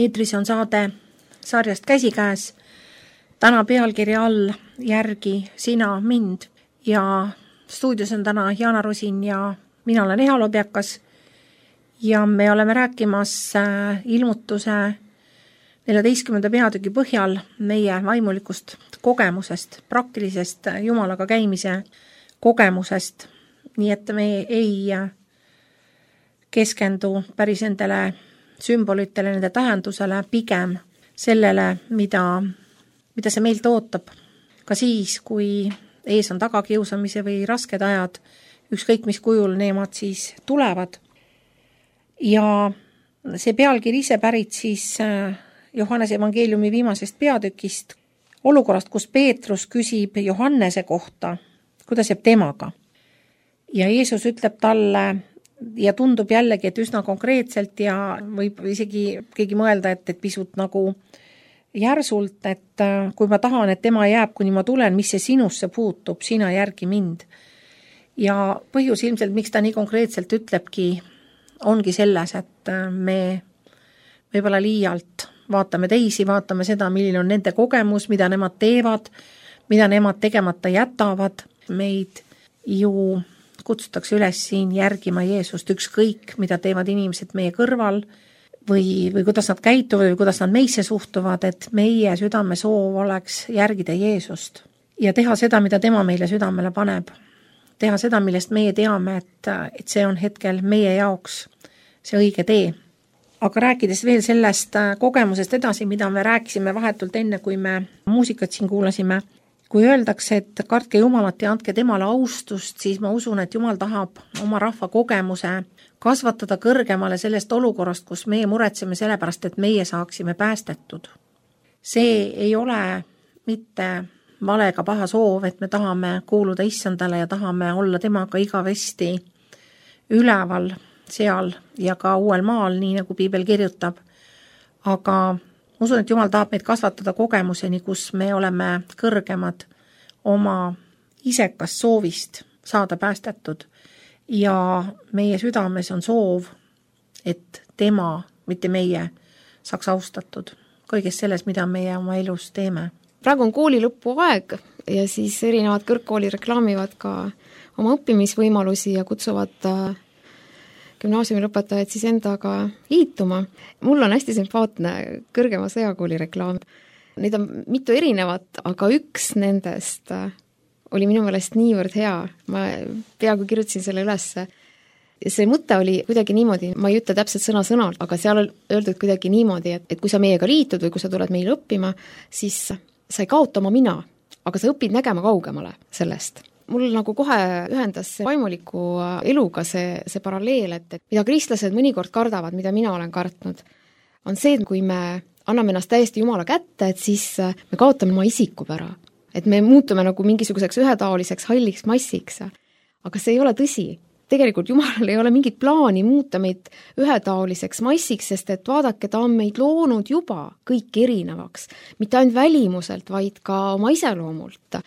eetris on saade sarjast Käsikäes. Täna pealkirja all Järgi sina mind ja stuudios on täna Jaana Rosin ja mina olen Eha Lobjakas ja me oleme rääkimas ilmutuse neljateistkümnenda peatüki põhjal meie vaimulikust kogemusest, praktilisest Jumalaga käimise kogemusest, nii et me ei keskendu päris nendele sümbolitele, nende tähendusele, pigem sellele, mida, mida see meilt ootab. Ka siis, kui ees on tagakiusamise või rasked ajad, ükskõik mis kujul neemad siis tulevad. Ja see pealkiri ise pärit siis Johannese evangeeliumi viimasest peatükist, olukorrast, kus Peetrus küsib Johannese kohta, kuidas jääb temaga. Ja Jeesus ütleb talle, ja tundub jällegi, et üsna konkreetselt ja võib isegi keegi mõelda, et, et pisut nagu järsult, et kui ma tahan, et tema jääb, kuni ma tulen, mis see sinusse puutub, sina järgi mind. Ja põhjus ilmselt, miks ta nii konkreetselt ütlebki, ongi selles, et me võib-olla liialt vaatame teisi, vaatame seda, milline on nende kogemus, mida nemad teevad, mida nemad tegemata jätavad. Meid ju kutsutakse üles siin järgima Jeesust, ükskõik, mida teevad inimesed meie kõrval või, või kuidas nad käituvad või kuidas nad meisse suhtuvad, et meie südame soov oleks järgida Jeesust ja teha seda, mida tema meile südamele paneb. Teha seda, millest meie teame, et, et see on hetkel meie jaoks see õige tee. Aga rääkides veel sellest kogemusest edasi, mida me rääkisime vahetult enne, kui me muusikat siin kuulasime, kui öeldakse, et kartke Jumalat ja andke temale austust, siis ma usun, et Jumal tahab oma rahva kogemuse kasvatada kõrgemale sellest olukorrast, kus meie muretseme sellepärast, et meie saaksime päästetud. See ei ole mitte valega paha soov, et me tahame kuuluda issandale ja tahame olla temaga igavesti üleval seal ja ka uuel maal, nii nagu Piibel kirjutab. Aga usun, et Jumal tahab meid kasvatada kogemuseni, kus me oleme kõrgemad oma isekast soovist saada päästetud ja meie südames on soov, et tema, mitte meie, saaks austatud kõigest selles, mida meie oma elus teeme. Praegu on kooli lõpu aeg ja siis erinevad kõrgkooli reklaamivad ka oma õppimisvõimalusi ja kutsuvad gümnaasiumi lõpetajad siis endaga liituma. Mul on hästi sümpaatne kõrgema sõjakooli reklaam. Neid on mitu erinevat, aga üks nendest oli minu meelest niivõrd hea. Ma peaaegu kirjutasin selle üles. See mõte oli kuidagi niimoodi, ma ei ütle täpselt sõna-sõnalt, aga seal on öeldud kuidagi niimoodi, et, et kui sa meiega liitud või kui sa tuled meile õppima, siis sa ei kaota oma mina, aga sa õpid nägema kaugemale sellest. Mul nagu kohe ühendas see vaimuliku eluga see, see paralleel, et, et mida kristlased mõnikord kardavad, mida mina olen kartnud, on see, et kui me anname ennast täiesti Jumala kätte, et siis me kaotame oma isikupära. Et me muutume nagu mingisuguseks ühetaoliseks halliks massiks. Aga see ei ole tõsi. Tegelikult Jumalal ei ole mingit plaani muuta meid ühetaoliseks massiks, sest et vaadake, ta on meid loonud juba kõik erinevaks. Mitte ainult välimuselt, vaid ka oma iseloomult.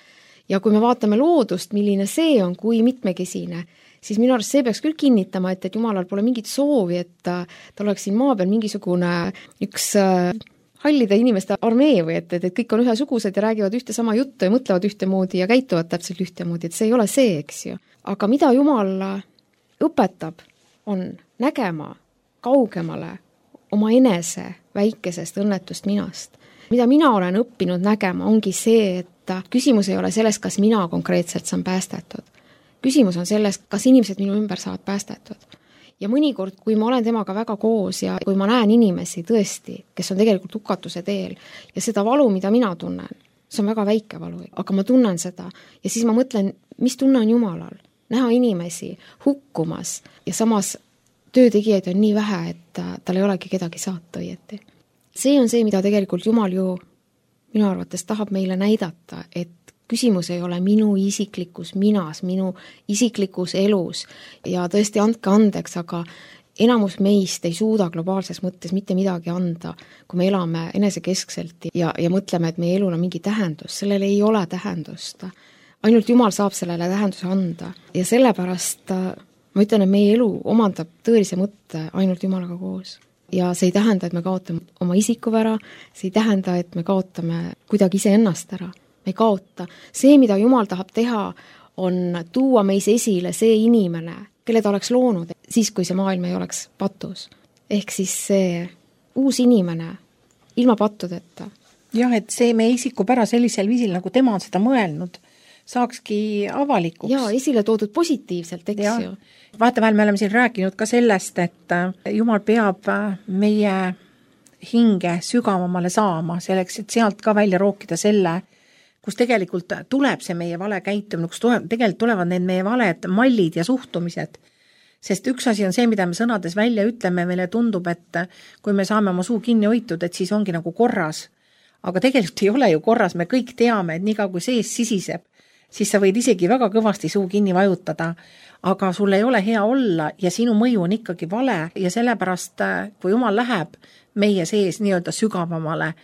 Ja kui me vaatame loodust, milline see on, kui mitmekesine, siis minu arust see peaks küll kinnitama, et, et Jumalal pole mingit soovi, et ta oleks siin maa peal mingisugune üks hallide inimeste armee või et, et, et kõik on ühesugused ja räägivad ühte sama juttu ja mõtlevad ühtemoodi ja käituvad täpselt ühtemoodi, et see ei ole see, eks ju. Aga mida Jumal õpetab, on nägema kaugemale oma enese väikesest õnnetust minast. Mida mina olen õppinud nägema, ongi see, et küsimus ei ole selles, kas mina konkreetselt saan päästetud. Küsimus on selles, kas inimesed minu ümber saavad päästetud. Ja mõnikord, kui ma olen temaga väga koos ja kui ma näen inimesi tõesti, kes on tegelikult hukatuse teel ja seda valu, mida mina tunnen, see on väga väike valu, aga ma tunnen seda ja siis ma mõtlen, mis tunne on Jumalal. Näha inimesi hukkumas ja samas töötegijaid on nii vähe, et tal ei olegi kedagi saata õieti. See on see, mida tegelikult Jumal ju minu arvates tahab meile näidata, et küsimus ei ole minu isiklikus minas, minu isiklikus elus ja tõesti andke andeks, aga enamus meist ei suuda globaalses mõttes mitte midagi anda, kui me elame enesekeskselt ja, ja mõtleme, et meie elul on mingi tähendus. Sellel ei ole tähendust. Ainult Jumal saab sellele tähenduse anda ja sellepärast ma ütlen, et meie elu omandab tõelise mõtte ainult Jumalaga koos. ja see ei tähenda, et me kaotame oma isikuvära, see ei tähenda, et me kaotame kuidagi iseennast ära. Me ei kaota. See, mida Jumal tahab teha, on tuua meis esile see inimene, kelle ta oleks loonud, siis kui see maailm ei oleks patus. Ehk siis see uus inimene ilma pattudeta. Jah, et see meie isikupära sellisel viisil, nagu tema on seda mõelnud, saakski avalikuks. Jaa, esile toodud positiivselt, eks ja. Ju. Vaatevahel me oleme siin rääkinud ka sellest, et Jumal peab meie hinge sügavamale saama, selleks, et sealt ka välja rookida selle, kus tegelikult tuleb see meie vale käitumine, kus tuleb, tegelikult tulevad need meie valed mallid ja suhtumised. Sest üks asi on see, mida me sõnades välja ütleme, meile tundub, et kui me saame oma suu kinni hoitud, et siis ongi nagu korras. Aga tegelikult ei ole ju korras, me kõik teame, et niikaua kui sees sisiseb, siis sa võid isegi väga kõvasti suu kinni vajutada, aga sul ei ole hea olla ja sinu mõju on ikkagi vale ja sellepärast, kui Jumal läheb meie sees nii-öelda sügavamale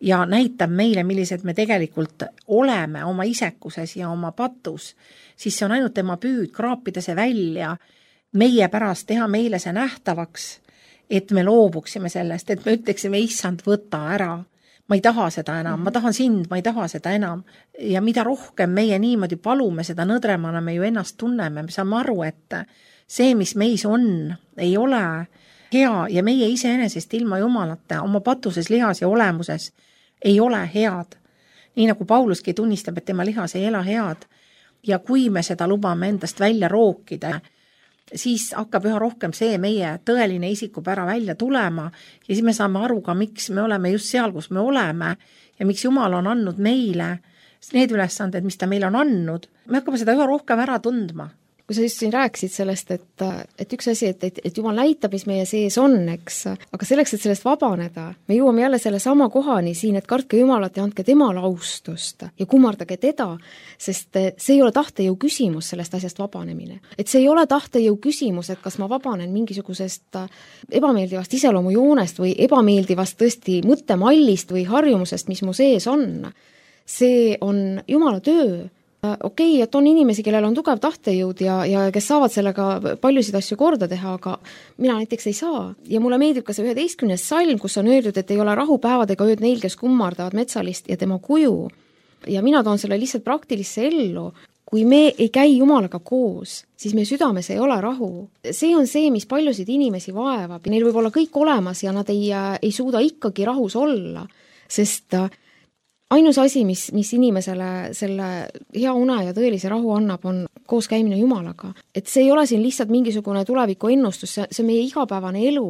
ja näitab meile, millised me tegelikult oleme oma isekuses ja oma patus, siis see on ainult tema püüd kraapida see välja, meie pärast teha meile see nähtavaks, et me loobuksime sellest, et me ütleksime, issand, võta ära. Ma ei taha seda enam, ma tahan sind, ma ei taha seda enam. Ja mida rohkem meie niimoodi palume, seda nõdremana me ju ennast tunneme. Me saame aru, et see, mis meis on, ei ole hea ja meie iseenesest ilma Jumalata oma patuses, lihas ja olemuses ei ole head. Nii nagu Pauluski tunnistab, et tema lihas ei ela head. Ja kui me seda lubame endast välja rookida, siis hakkab üha rohkem see meie tõeline isikupära välja tulema ja siis me saame aru ka, miks me oleme just seal, kus me oleme ja miks Jumal on andnud meile need ülesanded, mis ta meile on andnud. Me hakkame seda üha rohkem ära tundma. Kui sa just siin rääkisid sellest, et, et üks asi, et, et, et Jumal näitab, mis meie sees on, eks, aga selleks, et sellest vabaneda, me jõuame jälle selle sama kohani siin, et kartke Jumalat ja andke temale austust ja kummardage teda, sest see ei ole tahtejõu küsimus sellest asjast vabanemine. Et see ei ole tahtejõu küsimus, et kas ma vabanen mingisugusest ebameeldivast iseloomujoonest või ebameeldivast tõesti mõttemallist või harjumusest, mis mu sees on. See on Jumala töö. Okei, okay, et on inimesi, kellel on tugev tahtejõud ja, ja kes saavad sellega paljusid asju korda teha, aga mina näiteks ei saa. Ja mulle meeldib ka see üheteistkümnes salm, kus on öeldud, et ei ole rahupäevad ega ööd neil, kes kummardavad metsalist ja tema kuju. Ja mina toon selle lihtsalt praktilisse ellu. Kui me ei käi Jumalaga koos, siis meie südames ei ole rahu. See on see, mis paljusid inimesi vaevab. Neil võib olla kõik olemas ja nad ei, ei suuda ikkagi rahus olla, sest ainus asi, mis, mis inimesele selle hea une ja tõelise rahu annab, on koos käimine Jumalaga. Et see ei ole siin lihtsalt mingisugune tuleviku ennustus, see, see on meie igapäevane elu.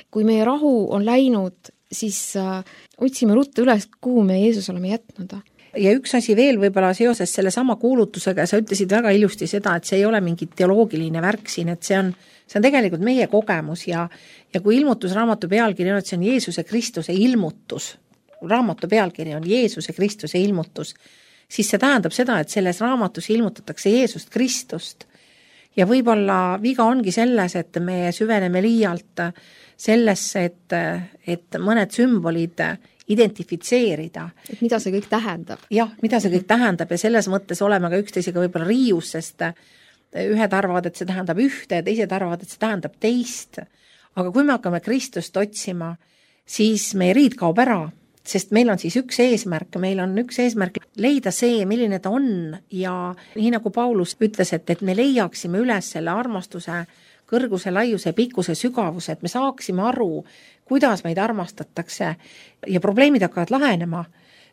Kui meie rahu on läinud, siis äh, otsime ruttu üles, kuhu me Jeesus oleme jätnud. Ja üks asi veel võib-olla seoses selle sama kuulutusega, sa ütlesid väga ilusti seda, et see ei ole mingi teoloogiline värk siin, et see on, see on tegelikult meie kogemus ja, ja kui ilmutusraamatu pealkiri on, et see on Jeesuse Kristuse ilmutus, raamatu pealkiri on Jeesuse Kristuse ilmutus, siis see tähendab seda, et selles raamatus ilmutatakse Jeesust Kristust. Ja võib-olla viga ongi selles, et me süveneme liialt sellesse, et, et mõned sümbolid identifitseerida. Et mida see kõik tähendab. Jah, mida see kõik tähendab ja selles mõttes oleme ka üksteisega võib-olla riius, sest ühed arvavad, et see tähendab ühte ja teised arvavad, et see tähendab teist. Aga kui me hakkame Kristust otsima, siis meie riid kaob ära. Sest meil on siis üks eesmärk, meil on üks eesmärk leida see, milline ta on ja nii nagu Paulus ütles, et, et me leiaksime üles selle armastuse kõrguse, laiuse, pikkuse, sügavuse, et me saaksime aru, kuidas meid armastatakse ja probleemid hakkavad lahenema,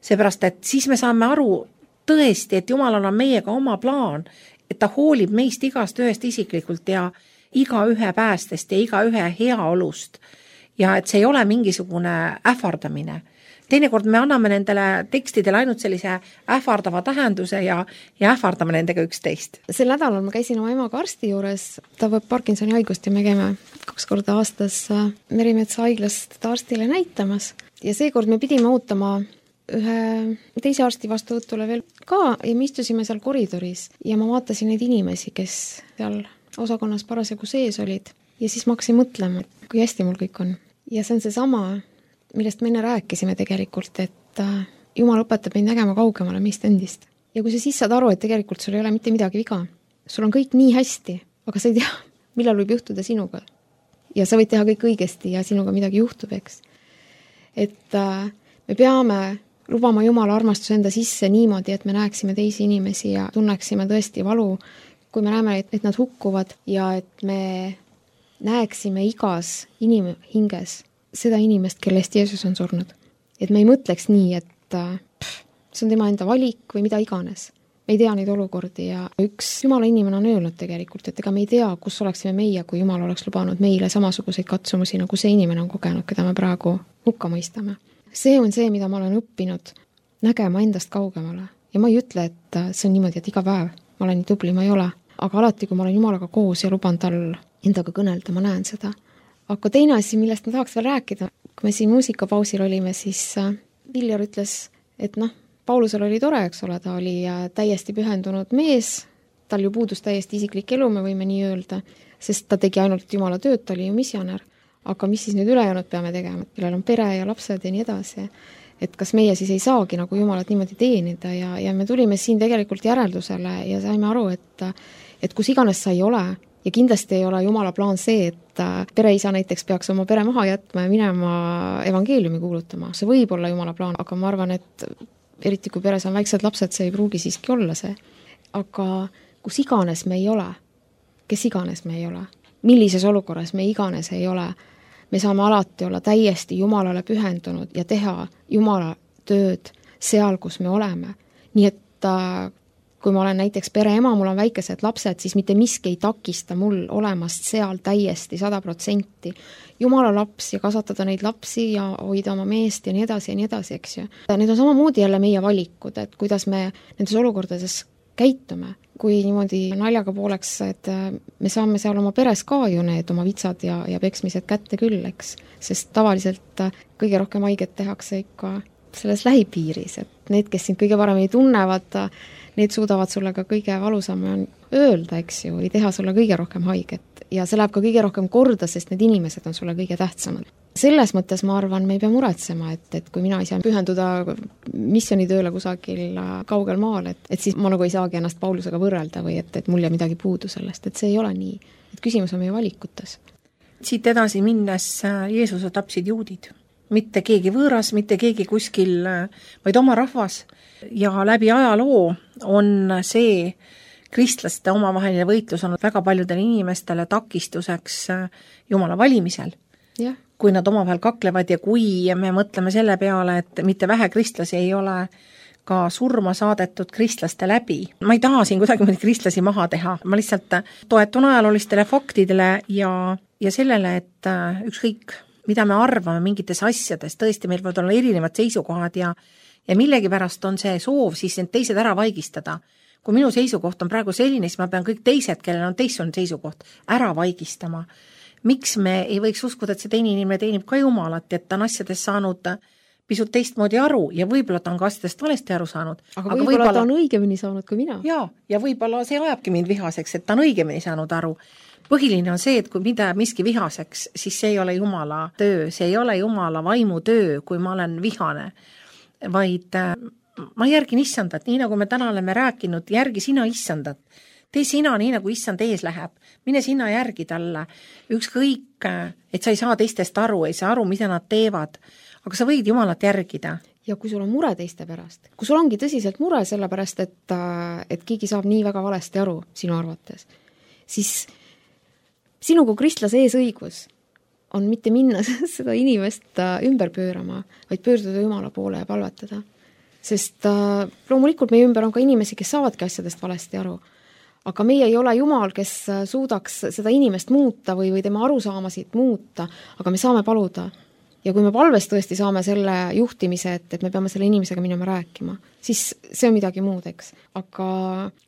seepärast, et siis me saame aru tõesti, et Jumalal on meiega oma plaan, et ta hoolib meist igast ühest isiklikult ja iga ühe päästest ja iga ühe heaolust ja et see ei ole mingisugune ähvardamine. Teinekord me anname nendele tekstidele ainult sellise ähvardava tähenduse ja, ja ähvardame nendega üksteist. Sel nädalal ma käisin oma emaga arsti juures, ta võib Parkinsoni haigust ja me käime kaks korda aastas Merimetsa haiglast teda arstile näitamas. Ja seekord me pidime ootama ühe teise arsti vastuvõtule veel ka ja me istusime seal koridoris ja ma vaatasin neid inimesi, kes seal osakonnas parasjagu sees olid ja siis ma hakkasin mõtlema, kui hästi mul kõik on. Ja see on see sama, millest me enne rääkisime tegelikult, et Jumal õpetab meid nägema kaugemale meist endist. Ja kui sa siis saad aru, et tegelikult sul ei ole mitte midagi viga, sul on kõik nii hästi, aga sa ei tea, millal võib juhtuda sinuga. ja sa võid teha kõik õigesti ja sinuga midagi juhtub, eks. Et äh, me peame lubama Jumala armastuse enda sisse niimoodi, et me näeksime teisi inimesi ja tunneksime tõesti valu, kui me näeme, et, et nad hukkuvad ja et me näeksime igas inimhinges seda inimest, kellest Jeesus on surnud. Et me ei mõtleks nii, et pff, see on tema enda valik või mida iganes. Me ei tea neid olukordi ja üks Jumala inimene on öelnud tegelikult, et ega me ei tea, kus oleksime meie, kui Jumal oleks lubanud meile samasuguseid katsumusi, nagu see inimene on kogenud, keda me praegu hukka mõistame. See on see, mida ma olen õppinud nägema endast kaugemale. Ja ma ei ütle, et see on niimoodi, et iga päev ma olen nii tubli, ma ei ole. Aga alati, kui ma olen Jumalaga koos ja luban tal endaga kõnelda, ma näen seda. Aga teine asi, millest ma tahaks veel rääkida, kui me siin muusikapausil olime, siis Viljar ütles, et noh, Paulusel oli tore, eks ole, ta oli täiesti pühendunud mees, tal ju puudus täiesti isiklik elu, me võime nii öelda, sest ta tegi ainult Jumala tööd, ta oli ju missionär. Aga mis siis nüüd ülejäänud peame tegema, kellel on pere ja lapsed ja nii edasi, et kas meie siis ei saagi nagu Jumalat niimoodi teenida ja, ja me tulime siin tegelikult järeldusele ja saime aru, et, et kus iganes sa ei ole ja kindlasti ei ole Jumala plaan see, et pereisa näiteks peaks oma pere maha jätma ja minema evangeeliumi kuulutama. See võib olla Jumala plaan, aga ma arvan, et eriti kui peres on väiksed lapsed, see ei pruugi siiski olla see. Aga kus iganes me ei ole, kes iganes me ei ole, millises olukorras me iganes ei ole, me saame alati olla täiesti Jumalale pühendunud ja teha Jumala tööd seal, kus me oleme. Nii et kui ma olen näiteks pereema, mul on väikesed lapsed, siis mitte miski ei takista mul olemast seal täiesti sada protsenti Jumala laps ja kasvatada neid lapsi ja hoida oma meest ja nii edasi ja nii edasi, eks ju. Need on samamoodi jälle meie valikud, et kuidas me nendes olukordades käitume. Kui niimoodi naljaga pooleks, et me saame seal oma peres ka ju need oma vitsad ja, ja peksmised kätte küll, eks. Sest tavaliselt kõige rohkem haiget tehakse ikka selles lähipiiris, et need, kes sind kõige paremini tunnevad, need suudavad sulle ka kõige valusam öelda, eks ju, või teha sulle kõige rohkem haiget. Ja see läheb ka kõige rohkem korda, sest need inimesed on sulle kõige tähtsamad. Selles mõttes ma arvan, me ei pea muretsema, et, et kui mina ei saa pühenduda missionitööle kusagil kaugel maal, et, et siis ma nagu ei saagi ennast Paulusega võrrelda või et, et mul jää midagi puudu sellest, et see ei ole nii. Et küsimus on meie valikutes. Siit edasi minnes Jeesuse tapsid juudid. Mitte keegi võõras, mitte keegi kuskil, vaid oma rahvas. Ja läbi ajaloo on see kristlaste omavaheline võitlus on väga paljudele inimestele takistuseks Jumala valimisel. Ja. Kui nad omavahel kaklevad ja kui me mõtleme selle peale, et mitte vähe kristlasi ei ole ka surma saadetud kristlaste läbi. Ma ei taha siin kuidagi kristlasi maha teha. Ma lihtsalt toetun ajaloolistele faktidele ja, ja sellele, et ükskõik, mida me arvame mingites asjades, tõesti meil võivad olla erinevad seisukohad ja, ja millegipärast on see soov siis need teised ära vaigistada. Kui minu seisukoht on praegu selline, siis ma pean kõik teised, kellel on teistsugune seisukoht, ära vaigistama. Miks me ei võiks uskuda, et see teine inimene teenib ka Jumalat, et ta on asjadest saanud pisut teistmoodi aru ja võib-olla ta on ka asjadest valesti aru saanud. Aga, aga võib-olla, võib-olla ta on õigemini saanud kui mina. Jaa, ja võib-olla see ajabki mind vihaseks, et ta on õigemini saanud aru. Põhiline on see, et kui mida miski vihaseks, siis see ei ole Jumala töö, see ei ole Jumala vaimu töö, kui ma olen vihane, vaid ma järgin issandat, nii nagu me täna oleme rääkinud, järgi sina issandat. Tee sina nii, nagu issand ees läheb. Mine sina järgi talle. Ükskõik, et sa ei saa teistest aru, ei saa aru, mida nad teevad, aga sa võid Jumalat järgida. Ja kui sul on mure teiste pärast, kui sul ongi tõsiselt mure sellepärast, et, et keegi saab nii väga valesti aru sinu arvates, siis sinu kui kristlase ees õigus on mitte minna seda inimest ümber pöörama, vaid pöörduda Jumala poole ja palvetada. Sest äh, loomulikult meie ümber on ka inimesi, kes saavadki asjadest valesti aru. Aga meie ei ole Jumal, kes suudaks seda inimest muuta või, või tema arusaamasid muuta, aga me saame paluda. Ja kui me palves tõesti saame selle juhtimise, et, et me peame selle inimesega minema rääkima, siis see on midagi muud, eks. Aga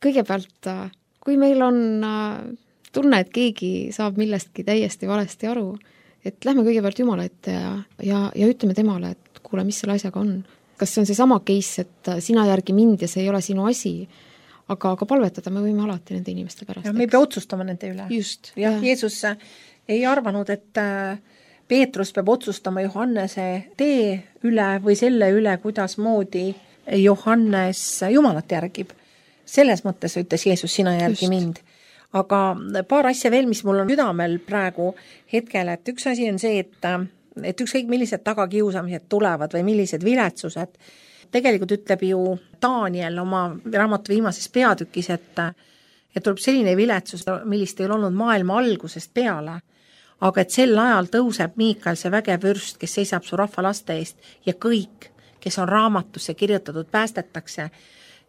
kõigepealt, kui meil on tunne, et keegi saab millestki täiesti valesti aru, et lähme kõigepealt Jumala ette ja, ja, ja ütleme temale, et kuule, mis selle asjaga on. Kas see on see sama case, et sina järgi mind ja see ei ole sinu asi, aga, aga palvetada me võime alati nende inimeste pärast. Ja me ei pea otsustama nende üle. Just. Ja, ja. Jeesus ei arvanud, et Peetrus peab otsustama Johannese tee üle või selle üle, kuidas moodi Johannes Jumalat järgib. Selles mõttes ütles Jeesus, sina järgi Just. Mind. Aga paar asja veel, mis mul on südamel praegu hetkel, et üks asi on see, et, et ükskõik millised tagakiusamised tulevad või millised viletsused, tegelikult ütleb ju Daniel oma raamatu viimases peatükis, et, et tuleb selline viletsus, millist ei ole olnud maailma algusest peale, aga et sel ajal tõuseb Miikael, see vägev vürst, kes seisab su rahva laste eest ja kõik, kes on raamatusse kirjutatud, päästetakse.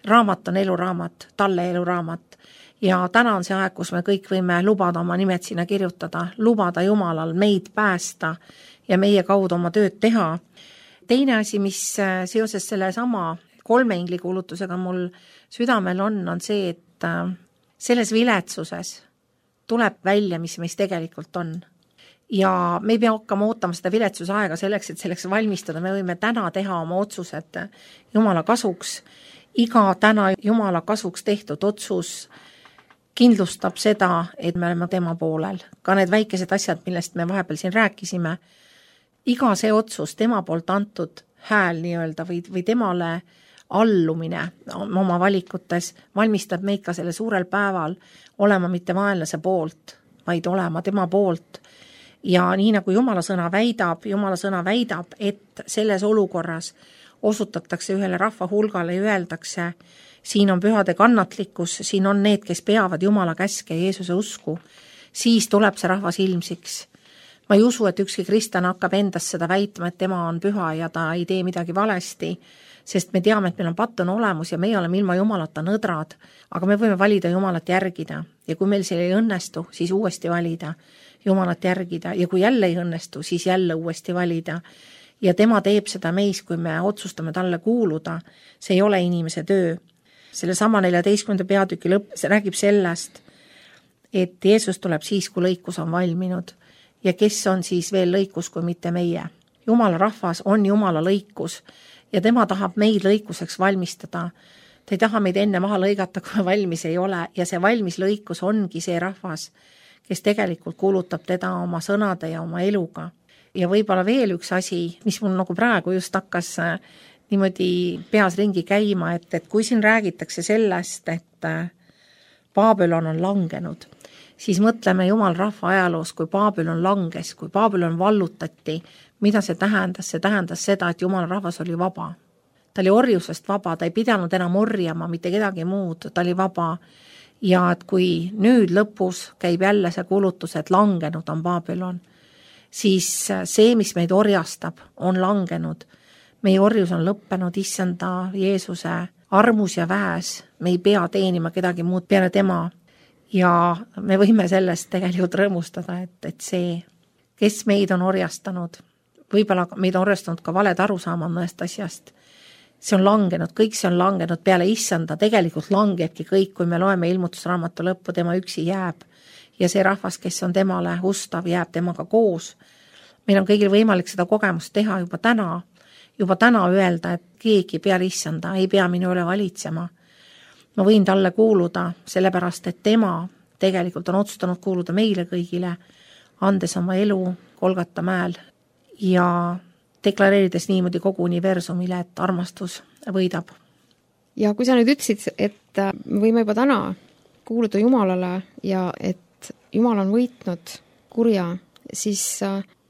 Raamat on eluraamat, talle eluraamat. Ja täna on see aeg, kus me kõik võime lubada oma nimed sinna kirjutada, lubada Jumalal meid päästa ja meie kaudu oma tööd teha. Teine asi, mis seoses selle sama kolme ingli kuulutusega mul südamel on, on see, et selles viletsuses tuleb välja, mis meis tegelikult on. Ja me ei pea hakkama ootama seda viletsuse aega selleks, et selleks valmistada. Me võime täna teha oma otsused Jumala kasuks. Iga täna Jumala kasuks tehtud otsus kindlustab seda, et me oleme tema poolel. Ka need väikesed asjad, millest me vahepeal siin rääkisime, iga see otsus, tema poolt antud hääl nii-öelda või, või temale allumine oma valikutes valmistab meid ka selle suurel päeval olema mitte vaenlase poolt, vaid olema tema poolt. Ja nii nagu Jumala sõna väidab, Jumala sõna väidab, et selles olukorras osutatakse ühele rahva hulgale ja öeldakse, siin on pühade kannatlikkus, siin on need, kes peavad Jumala käske ja Jeesuse usku, siis tuleb see rahvas ilmsiks. Ma ei usu, et ükski kristlane hakkab endast seda väitma, et tema on püha ja ta ei tee midagi valesti, sest me teame, et meil on pattune olemus ja meie oleme ilma Jumalata nõdrad, aga me võime valida Jumalat järgida ja kui meil see ei õnnestu, siis uuesti valida Jumalat järgida ja kui jälle ei õnnestu, siis jälle uuesti valida. Ja tema teeb seda meis, kui me otsustame talle kuuluda, see ei ole inimese töö. Selle sama neljateistkümnenda peatüki lõpp, see räägib sellest, et Jeesus tuleb siis, kui lõikus on valminud ja kes on siis veel lõikus kui mitte meie. Jumala rahvas on Jumala lõikus ja tema tahab meid lõikuseks valmistada. Ta ei taha meid enne maha lõigata, kui valmis ei ole ja see valmis lõikus ongi see rahvas, kes tegelikult kuulutab teda oma sõnade ja oma eluga. Ja võib-olla veel üks asi, mis mul nagu praegu just hakkas niimoodi peas ringi käima, et, et kui siin räägitakse sellest, et Babylon on langenud, siis mõtleme Jumal rahva ajaloos, kui Babylon langes, kui Babylon vallutati, mida see tähendas? See tähendas seda, et Jumala rahvas oli vaba. Ta oli orjusest vaba, ta ei pidanud enam orjama mitte kedagi muud, ta oli vaba. Ja et kui nüüd lõpus käib jälle see kuulutus, et langenud on Babylon, siis see, mis meid orjastab, on langenud. Meie orjus on lõppenud issanda Jeesuse armus ja väes. Me ei pea teenima kedagi muud peale tema. Ja me võime sellest tegelikult rõõmustada, et, et see, kes meid on orjastanud, võib-olla meid on orjastanud ka valed arusaama mõnest asjast. See on langenud, kõik see on langenud peale issanda. Tegelikult langebki kõik, kui me loeme ilmutusraamatu lõppu, tema üksi jääb. Ja see rahvas, kes on temale ustav, jääb temaga koos. Meil on kõigil võimalik seda kogemust teha juba täna. Juba täna öelda, et keegi peale issanda ei pea minu üle valitsema. Ma võin talle kuuluda, sellepärast, et tema tegelikult on otsustanud kuuluda meile kõigile, andes oma elu Golgata mäel ja deklareerides niimoodi kogu universumile, et armastus võidab. Ja kui sa nüüd ütlesid, et võime juba täna kuuluda Jumalale ja et Jumal on võitnud kurja, siis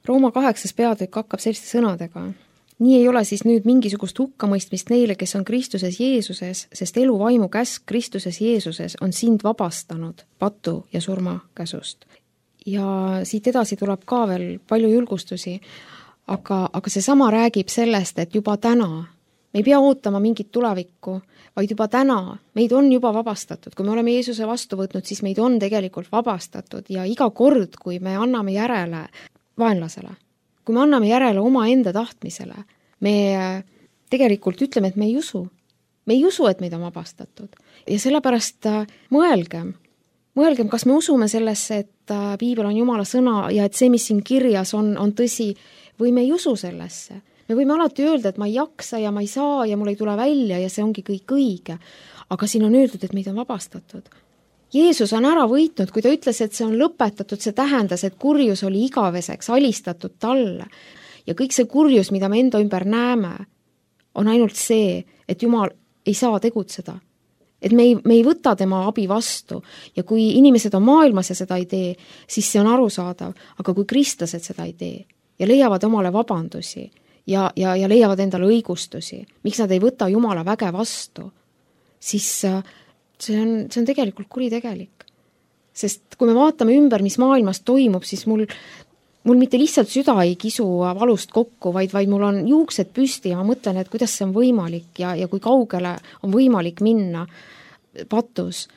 Rooma kaheksas peatükk hakkab selliste sõnadega. Nii ei ole siis nüüd mingisugust hukkamõistmist neile, kes on Kristuses Jeesuses, sest elu vaimu käsk Kristuses Jeesuses on sind vabastanud patu ja surma käsust. Ja siit edasi tuleb ka veel palju julgustusi, aga, aga see sama räägib sellest, et juba täna, me ei pea ootama mingit tulevikku, vaid juba täna meid on juba vabastatud. Kui me oleme Jeesuse vastu võtnud, siis meid on tegelikult vabastatud ja iga kord, kui me anname järele vaenlasele, kui me anname järele oma enda tahtmisele, me tegelikult ütleme, et me ei usu. Me ei usu, et meid on vabastatud. Ja sellepärast mõelgem, mõelgem, kas me usume sellesse, et piibel on Jumala sõna ja et see, mis siin kirjas on, on tõsi, või me ei usu sellesse. Me võime alati öelda, et ma ei jaksa ja ma ei saa ja mul ei tule välja ja see ongi kõik õige. Aga siin on öeldud, et meid on vabastatud. Jeesus on ära võitnud, kui ta ütles, et see on lõpetatud, see tähendas, et kurjus oli igaveseks, alistatud talle. Ja kõik see kurjus, mida me enda ümber näeme, on ainult see, et Jumal ei saa tegutseda. et me ei, me ei võta tema abi vastu ja kui inimesed on maailmas ja seda ei tee, siis see on arusaadav, aga kui kristlased seda ei tee ja leiavad omale vabandusi ja, ja, ja leiavad endale õigustusi, miks nad ei võta Jumala väge vastu, siis see on, see on tegelikult kuritegelik. Sest kui me vaatame ümber, mis maailmas toimub, siis mul, mul mitte lihtsalt süda ei kisu valust kokku, vaid, vaid mul on juuksed püsti ja ma mõtlen, et kuidas see on võimalik ja, ja kui kaugele on võimalik minna patus.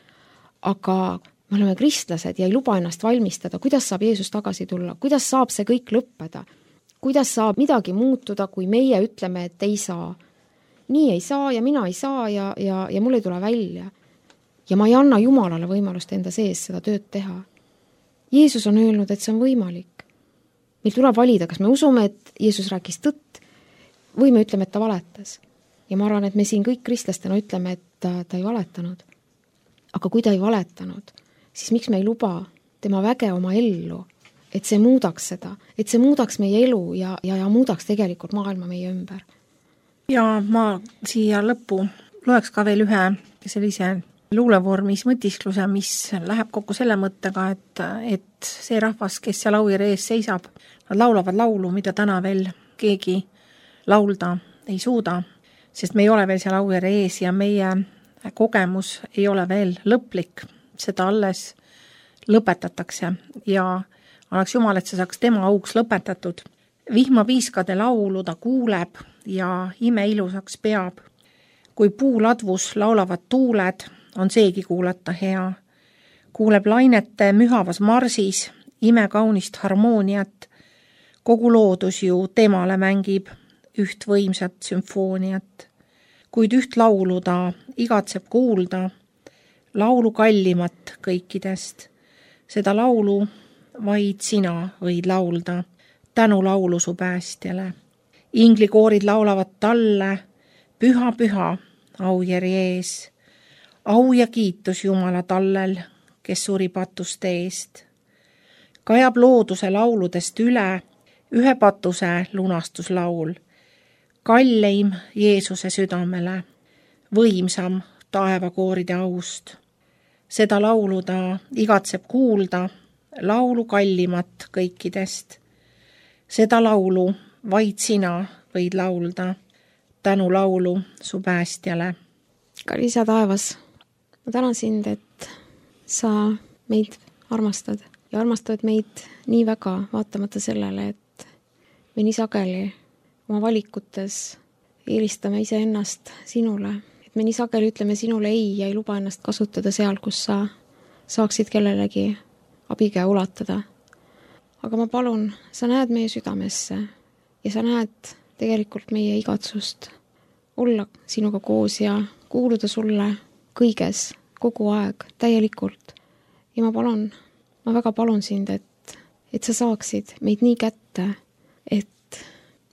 Aga me oleme kristlased ja ei luba ennast valmistada, kuidas saab Jeesus tagasi tulla, kuidas saab see kõik lõppeda, kuidas saab midagi muutuda, kui meie ütleme, et ei saa. Nii ei saa ja mina ei saa ja, ja, ja mul ei tule välja. Ja ma ei anna Jumalale võimalust enda sees seda tööd teha. Jeesus on öelnud, et see on võimalik. Meil tuleb valida, kas me usume, et Jeesus rääkis tõtt või me ütleme, et ta valetas. Ja ma arvan, et me siin kõik kristlastena ütleme, et ta, ta ei valetanud. Aga kui ta ei valetanud, siis miks me ei luba tema väge oma ellu, et see muudaks seda, et see muudaks meie elu ja, ja, ja muudaks tegelikult maailma meie ümber. Ja ma siia lõppu loeks ka veel ühe sellise luulevormis mõtiskluse, mis läheb kokku selle mõttega, et, et see rahvas, kes seal Aujärve ees seisab, nad laulavad laulu, mida täna veel keegi laulda ei suuda, sest me ei ole veel seal Aujärve ees ja meie kogemus ei ole veel lõplik, seda alles lõpetatakse ja annaks Jumal, et see saaks tema auks lõpetatud. Vihmapiiskade laulu ta kuuleb ja ime ilusaks peab. Kui puuladvus laulavad tuuled, on seegi kuulata hea. Kuuleb lainete mühavas marsis, ime kaunist harmooniat. Kogu loodus ju temale mängib üht võimsat sümfooniat. Kuid üht laulu ta igatseb kuulda, laulu kallimat kõikidest. Seda laulu vaid sina võid laulda, tänu laulu su päästjale. Inglikoorid laulavad talle, püha, püha, Aujärve ees. Au ja kiitus Jumala tallel, kes suri patuste eest. Kajab looduse lauludest üle ühe patuse lunastuslaul. Kalleim Jeesuse südamele, võimsam taevakooride aust. Seda laulu ta igatseb kuulda, laulu kallimat kõikidest. Seda laulu vaid sina võid laulda, tänu laulu su päästjale. Kallis Isa taevas, ma tänan sind, et sa meid armastad ja armastad meid nii väga, vaatamata sellele, et me nii sageli oma valikutes eelistame iseennast sinule, et me nii sageli ütleme sinule ei ja ei luba ennast kasutada seal, kus sa saaksid kellelegi abikäe ulatada. Aga ma palun, sa näed meie südamesse ja sa näed tegelikult meie igatsust olla sinuga koos ja kuuluda sulle kõiges, kogu aeg, täielikult. Ja ma palun, ma väga palun sind, et, et sa saaksid meid nii kätte, et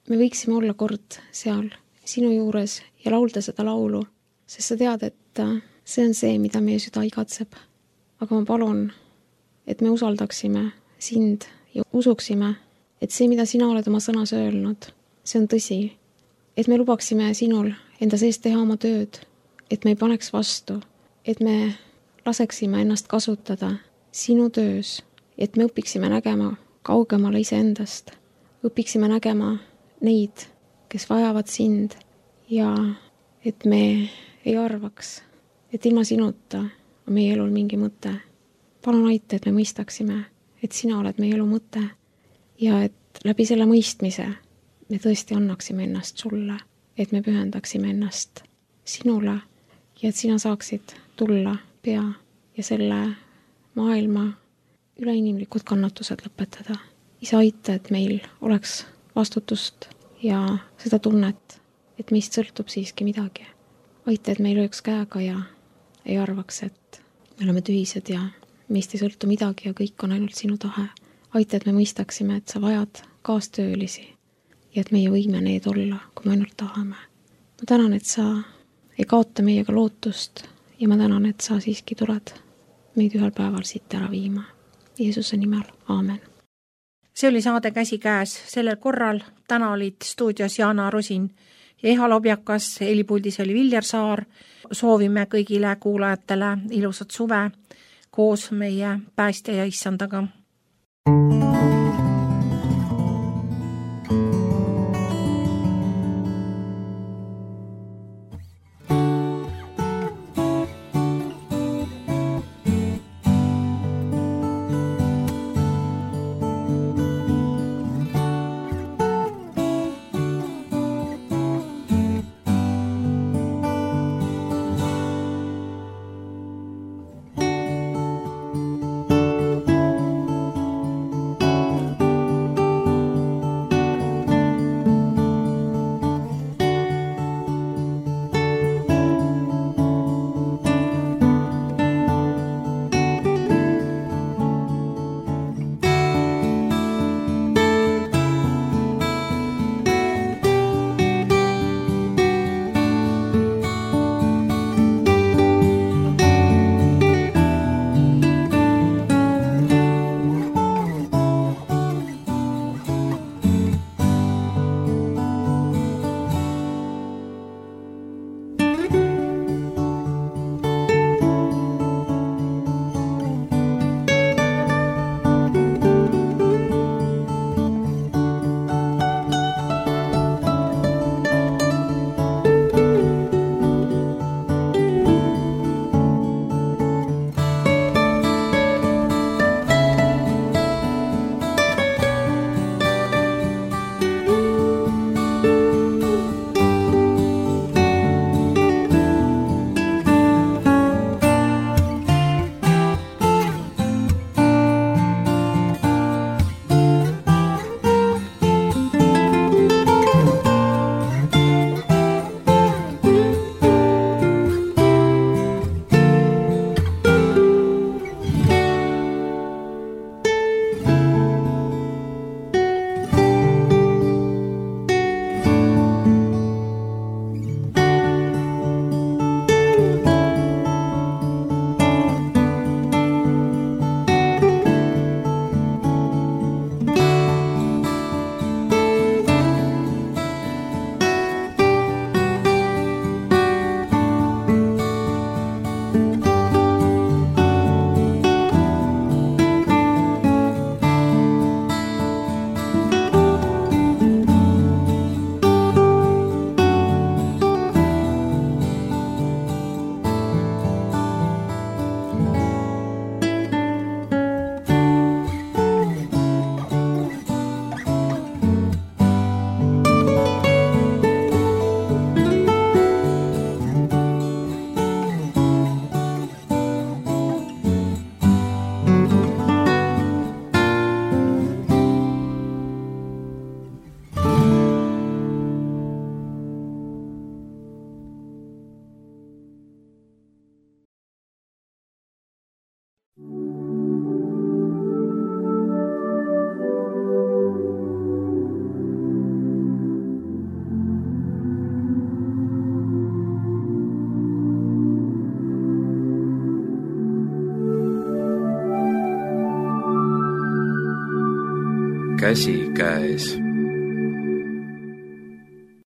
me võiksime olla kord seal sinu juures ja laulda seda laulu, sest sa tead, et see on see, mida meie süda igatseb. Aga ma palun, et me usaldaksime sind ja usuksime, et see, mida sina oled oma sõnas öelnud, see on tõsi. Et me lubaksime sinul enda sees teha oma tööd, et me ei paneks vastu, et me laseksime ennast kasutada sinu töös, et me õpiksime nägema kaugemale iseendast, õpiksime nägema neid, kes vajavad sind ja et me ei arvaks, et ilma sinuta on meie elul mingi mõte. Palun aita, et me mõistaksime, et sina oled meie elu mõte ja et läbi selle mõistmise me tõesti annaksime ennast sulle, et me pühendaksime ennast sinule ja et sina saaksid tulla pea ja selle maailma üleinimlikud kannatused lõpetada. Isa, aita, et meil oleks vastutust ja seda tunnet, et meist sõltub siiski midagi. Aita, et me ei lööks käega ja ei arvaks, et me oleme tühised ja meist ei sõltu midagi ja kõik on ainult sinu tahe. Aita, et me mõistaksime, et sa vajad kaastöölisi ja et meie võime need olla, kui me ainult tahame. Ma tänan, et sa ei kaota meiega lootust ja ma tänan, et sa siiski tuled meid ühel päeval siit ära viima. Jeesuse nimel, aamen. See oli saade Käsikäes sellel korral. Täna olid stuudios Jana Rosin Eha Lobjakas, helipuldis oli Viljar Saar. Soovime kõigile kuulajatele ilusat suve koos meie päästja ja issandaga. Käsikäes.